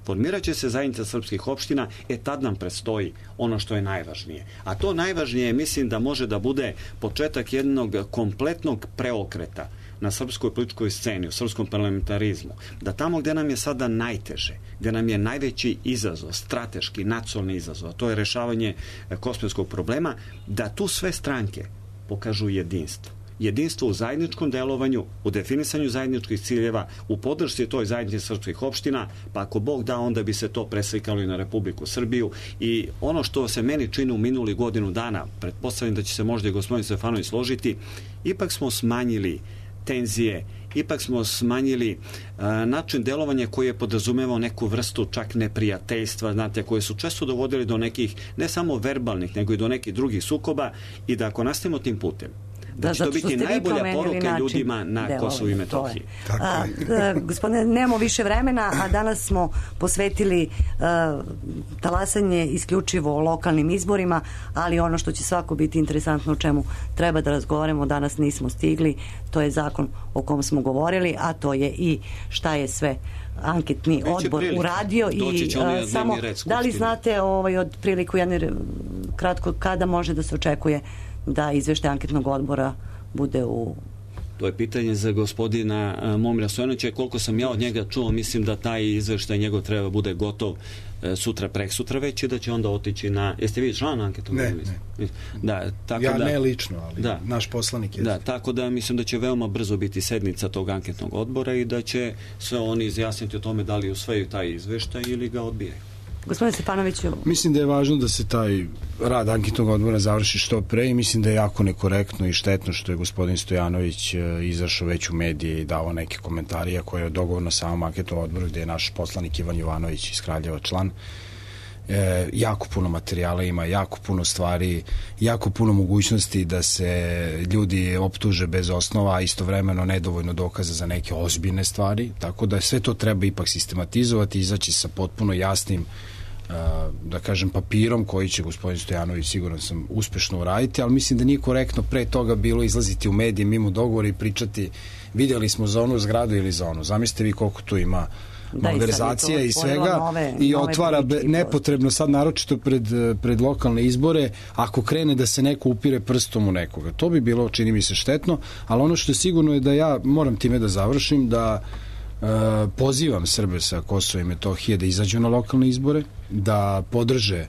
formirat će se zajednica srpskih opština, e tad nam predstoji ono što je najvažnije. A to najvažnije, mislim, da može da bude početak jednog kompletnog preokreta na srpskoj političkoj sceni, u srpskom parlamentarizmu, da tamo gde nam je sada najteže, gde nam je najveći izazov, strateški, nacionalni izazov, a to je rešavanje kosmetskog problema, da tu sve stranke pokažu jedinstvo jedinstvo u zajedničkom delovanju, u definisanju zajedničkih ciljeva, u podršci toj zajednici srpskih opština, pa ako Bog da, onda bi se to preslikalo i na Republiku Srbiju. I ono što se meni čini u minuli godinu dana, pretpostavljam da će se možda i gospodin Stefanović složiti, ipak smo smanjili tenzije, ipak smo smanjili uh, način delovanja koji je podrazumevao neku vrstu čak neprijateljstva, znate, koje su često dovodili do nekih, ne samo verbalnih, nego i do nekih drugih sukoba, i da ako nastavimo tim putem, da, da će to biti najbolja poruka ljudima na Kosovu i Metohiji. A, a, gospodine, nemamo više vremena, a danas smo posvetili a, talasanje isključivo lokalnim izborima, ali ono što će svako biti interesantno, o čemu treba da razgovaramo, danas nismo stigli, to je zakon o kom smo govorili, a to je i šta je sve anketni Biće odbor prilike. uradio i a, samo da li znate ovaj, od priliku jedne kratko kada može da se očekuje da izveštaj anketnog odbora bude u... To je pitanje za gospodina Momira Stojanovića. Koliko sam ja od njega čuo, mislim da taj izveštaj njegov treba bude gotov sutra, preksutra već, i da će onda otići na... Jeste vi član anketnog odbora? Ne, ne. Da, tako ja da, ne lično, ali da, naš poslanik je. Da, tako da mislim da će veoma brzo biti sednica tog anketnog odbora i da će sve oni izjasniti o tome da li usvajaju taj izveštaj ili ga odbijaju. Gospodine Stefanoviću... Mislim da je važno da se taj rad anketnog odbora završi što pre i mislim da je jako nekorektno i štetno što je gospodin Stojanović izašao već u medije i dao neke komentarije koje je dogovor na samom anketnom odboru gde je naš poslanik Ivan Jovanović iz Kraljeva član. E, jako puno materijala ima, jako puno stvari, jako puno mogućnosti da se ljudi optuže bez osnova, a istovremeno nedovoljno dokaza za neke ozbiljne stvari, tako da sve to treba ipak sistematizovati, izaći sa potpuno jasnim da kažem papirom koji će gospodin Stojanović siguran sam uspešno uraditi, ali mislim da nije korektno pre toga bilo izlaziti u medije mimo dogovora i pričati vidjeli smo za onu zgradu ili za onu. Zamislite vi koliko tu ima malverzacija i svega nove, i nove otvara be, nepotrebno sad naročito pred, pred lokalne izbore ako krene da se neko upire prstom u nekoga. To bi bilo, čini mi se, štetno, ali ono što je sigurno je da ja moram time da završim, da e, pozivam Srbe sa Kosova i Metohije da izađu na lokalne izbore, da podrže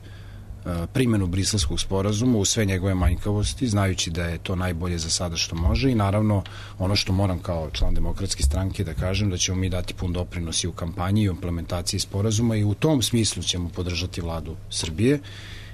primjenu Briselskog sporazuma u sve njegove manjkavosti, znajući da je to najbolje za sada što može i naravno ono što moram kao član Demokratske stranke da kažem da ćemo mi dati pun doprinos i u kampanji i u implementaciji sporazuma i u tom smislu ćemo podržati vladu Srbije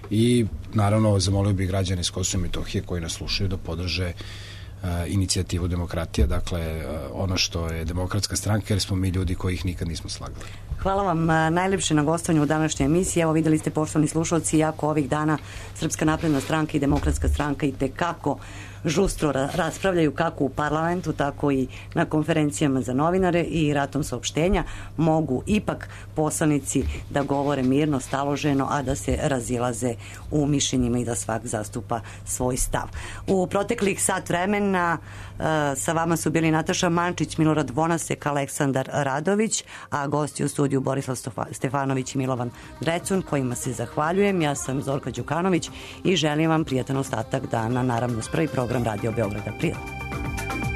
i naravno zamolio bih građane iz Kosova i Metohije koji nas slušaju da podrže uh, inicijativu demokratija, dakle uh, ono što je Demokratska stranka, jer smo mi ljudi koji ih nikad nismo slagali. Hvala vam najlepše na gostovanju u današnjoj emisiji. Evo videli ste, poštovani slušalci, jako ovih dana Srpska napredna stranka i Demokratska stranka i tekako žustro raspravljaju kako u parlamentu, tako i na konferencijama za novinare i ratom saopštenja. Mogu ipak poslanici da govore mirno, staloženo, a da se razilaze u mišljenjima i da svak zastupa svoj stav. U proteklih sat vremena uh, sa vama su bili Nataša Mančić, Milorad Vonasek, Aleksandar Radović, a gosti u studiju Borislav Stefanović i Milovan Drecun, kojima se zahvaljujem. Ja sam Zorka Đukanović i želim vam prijatan ostatak dana, naravno s prvi program Radio Beograda. Prijatno.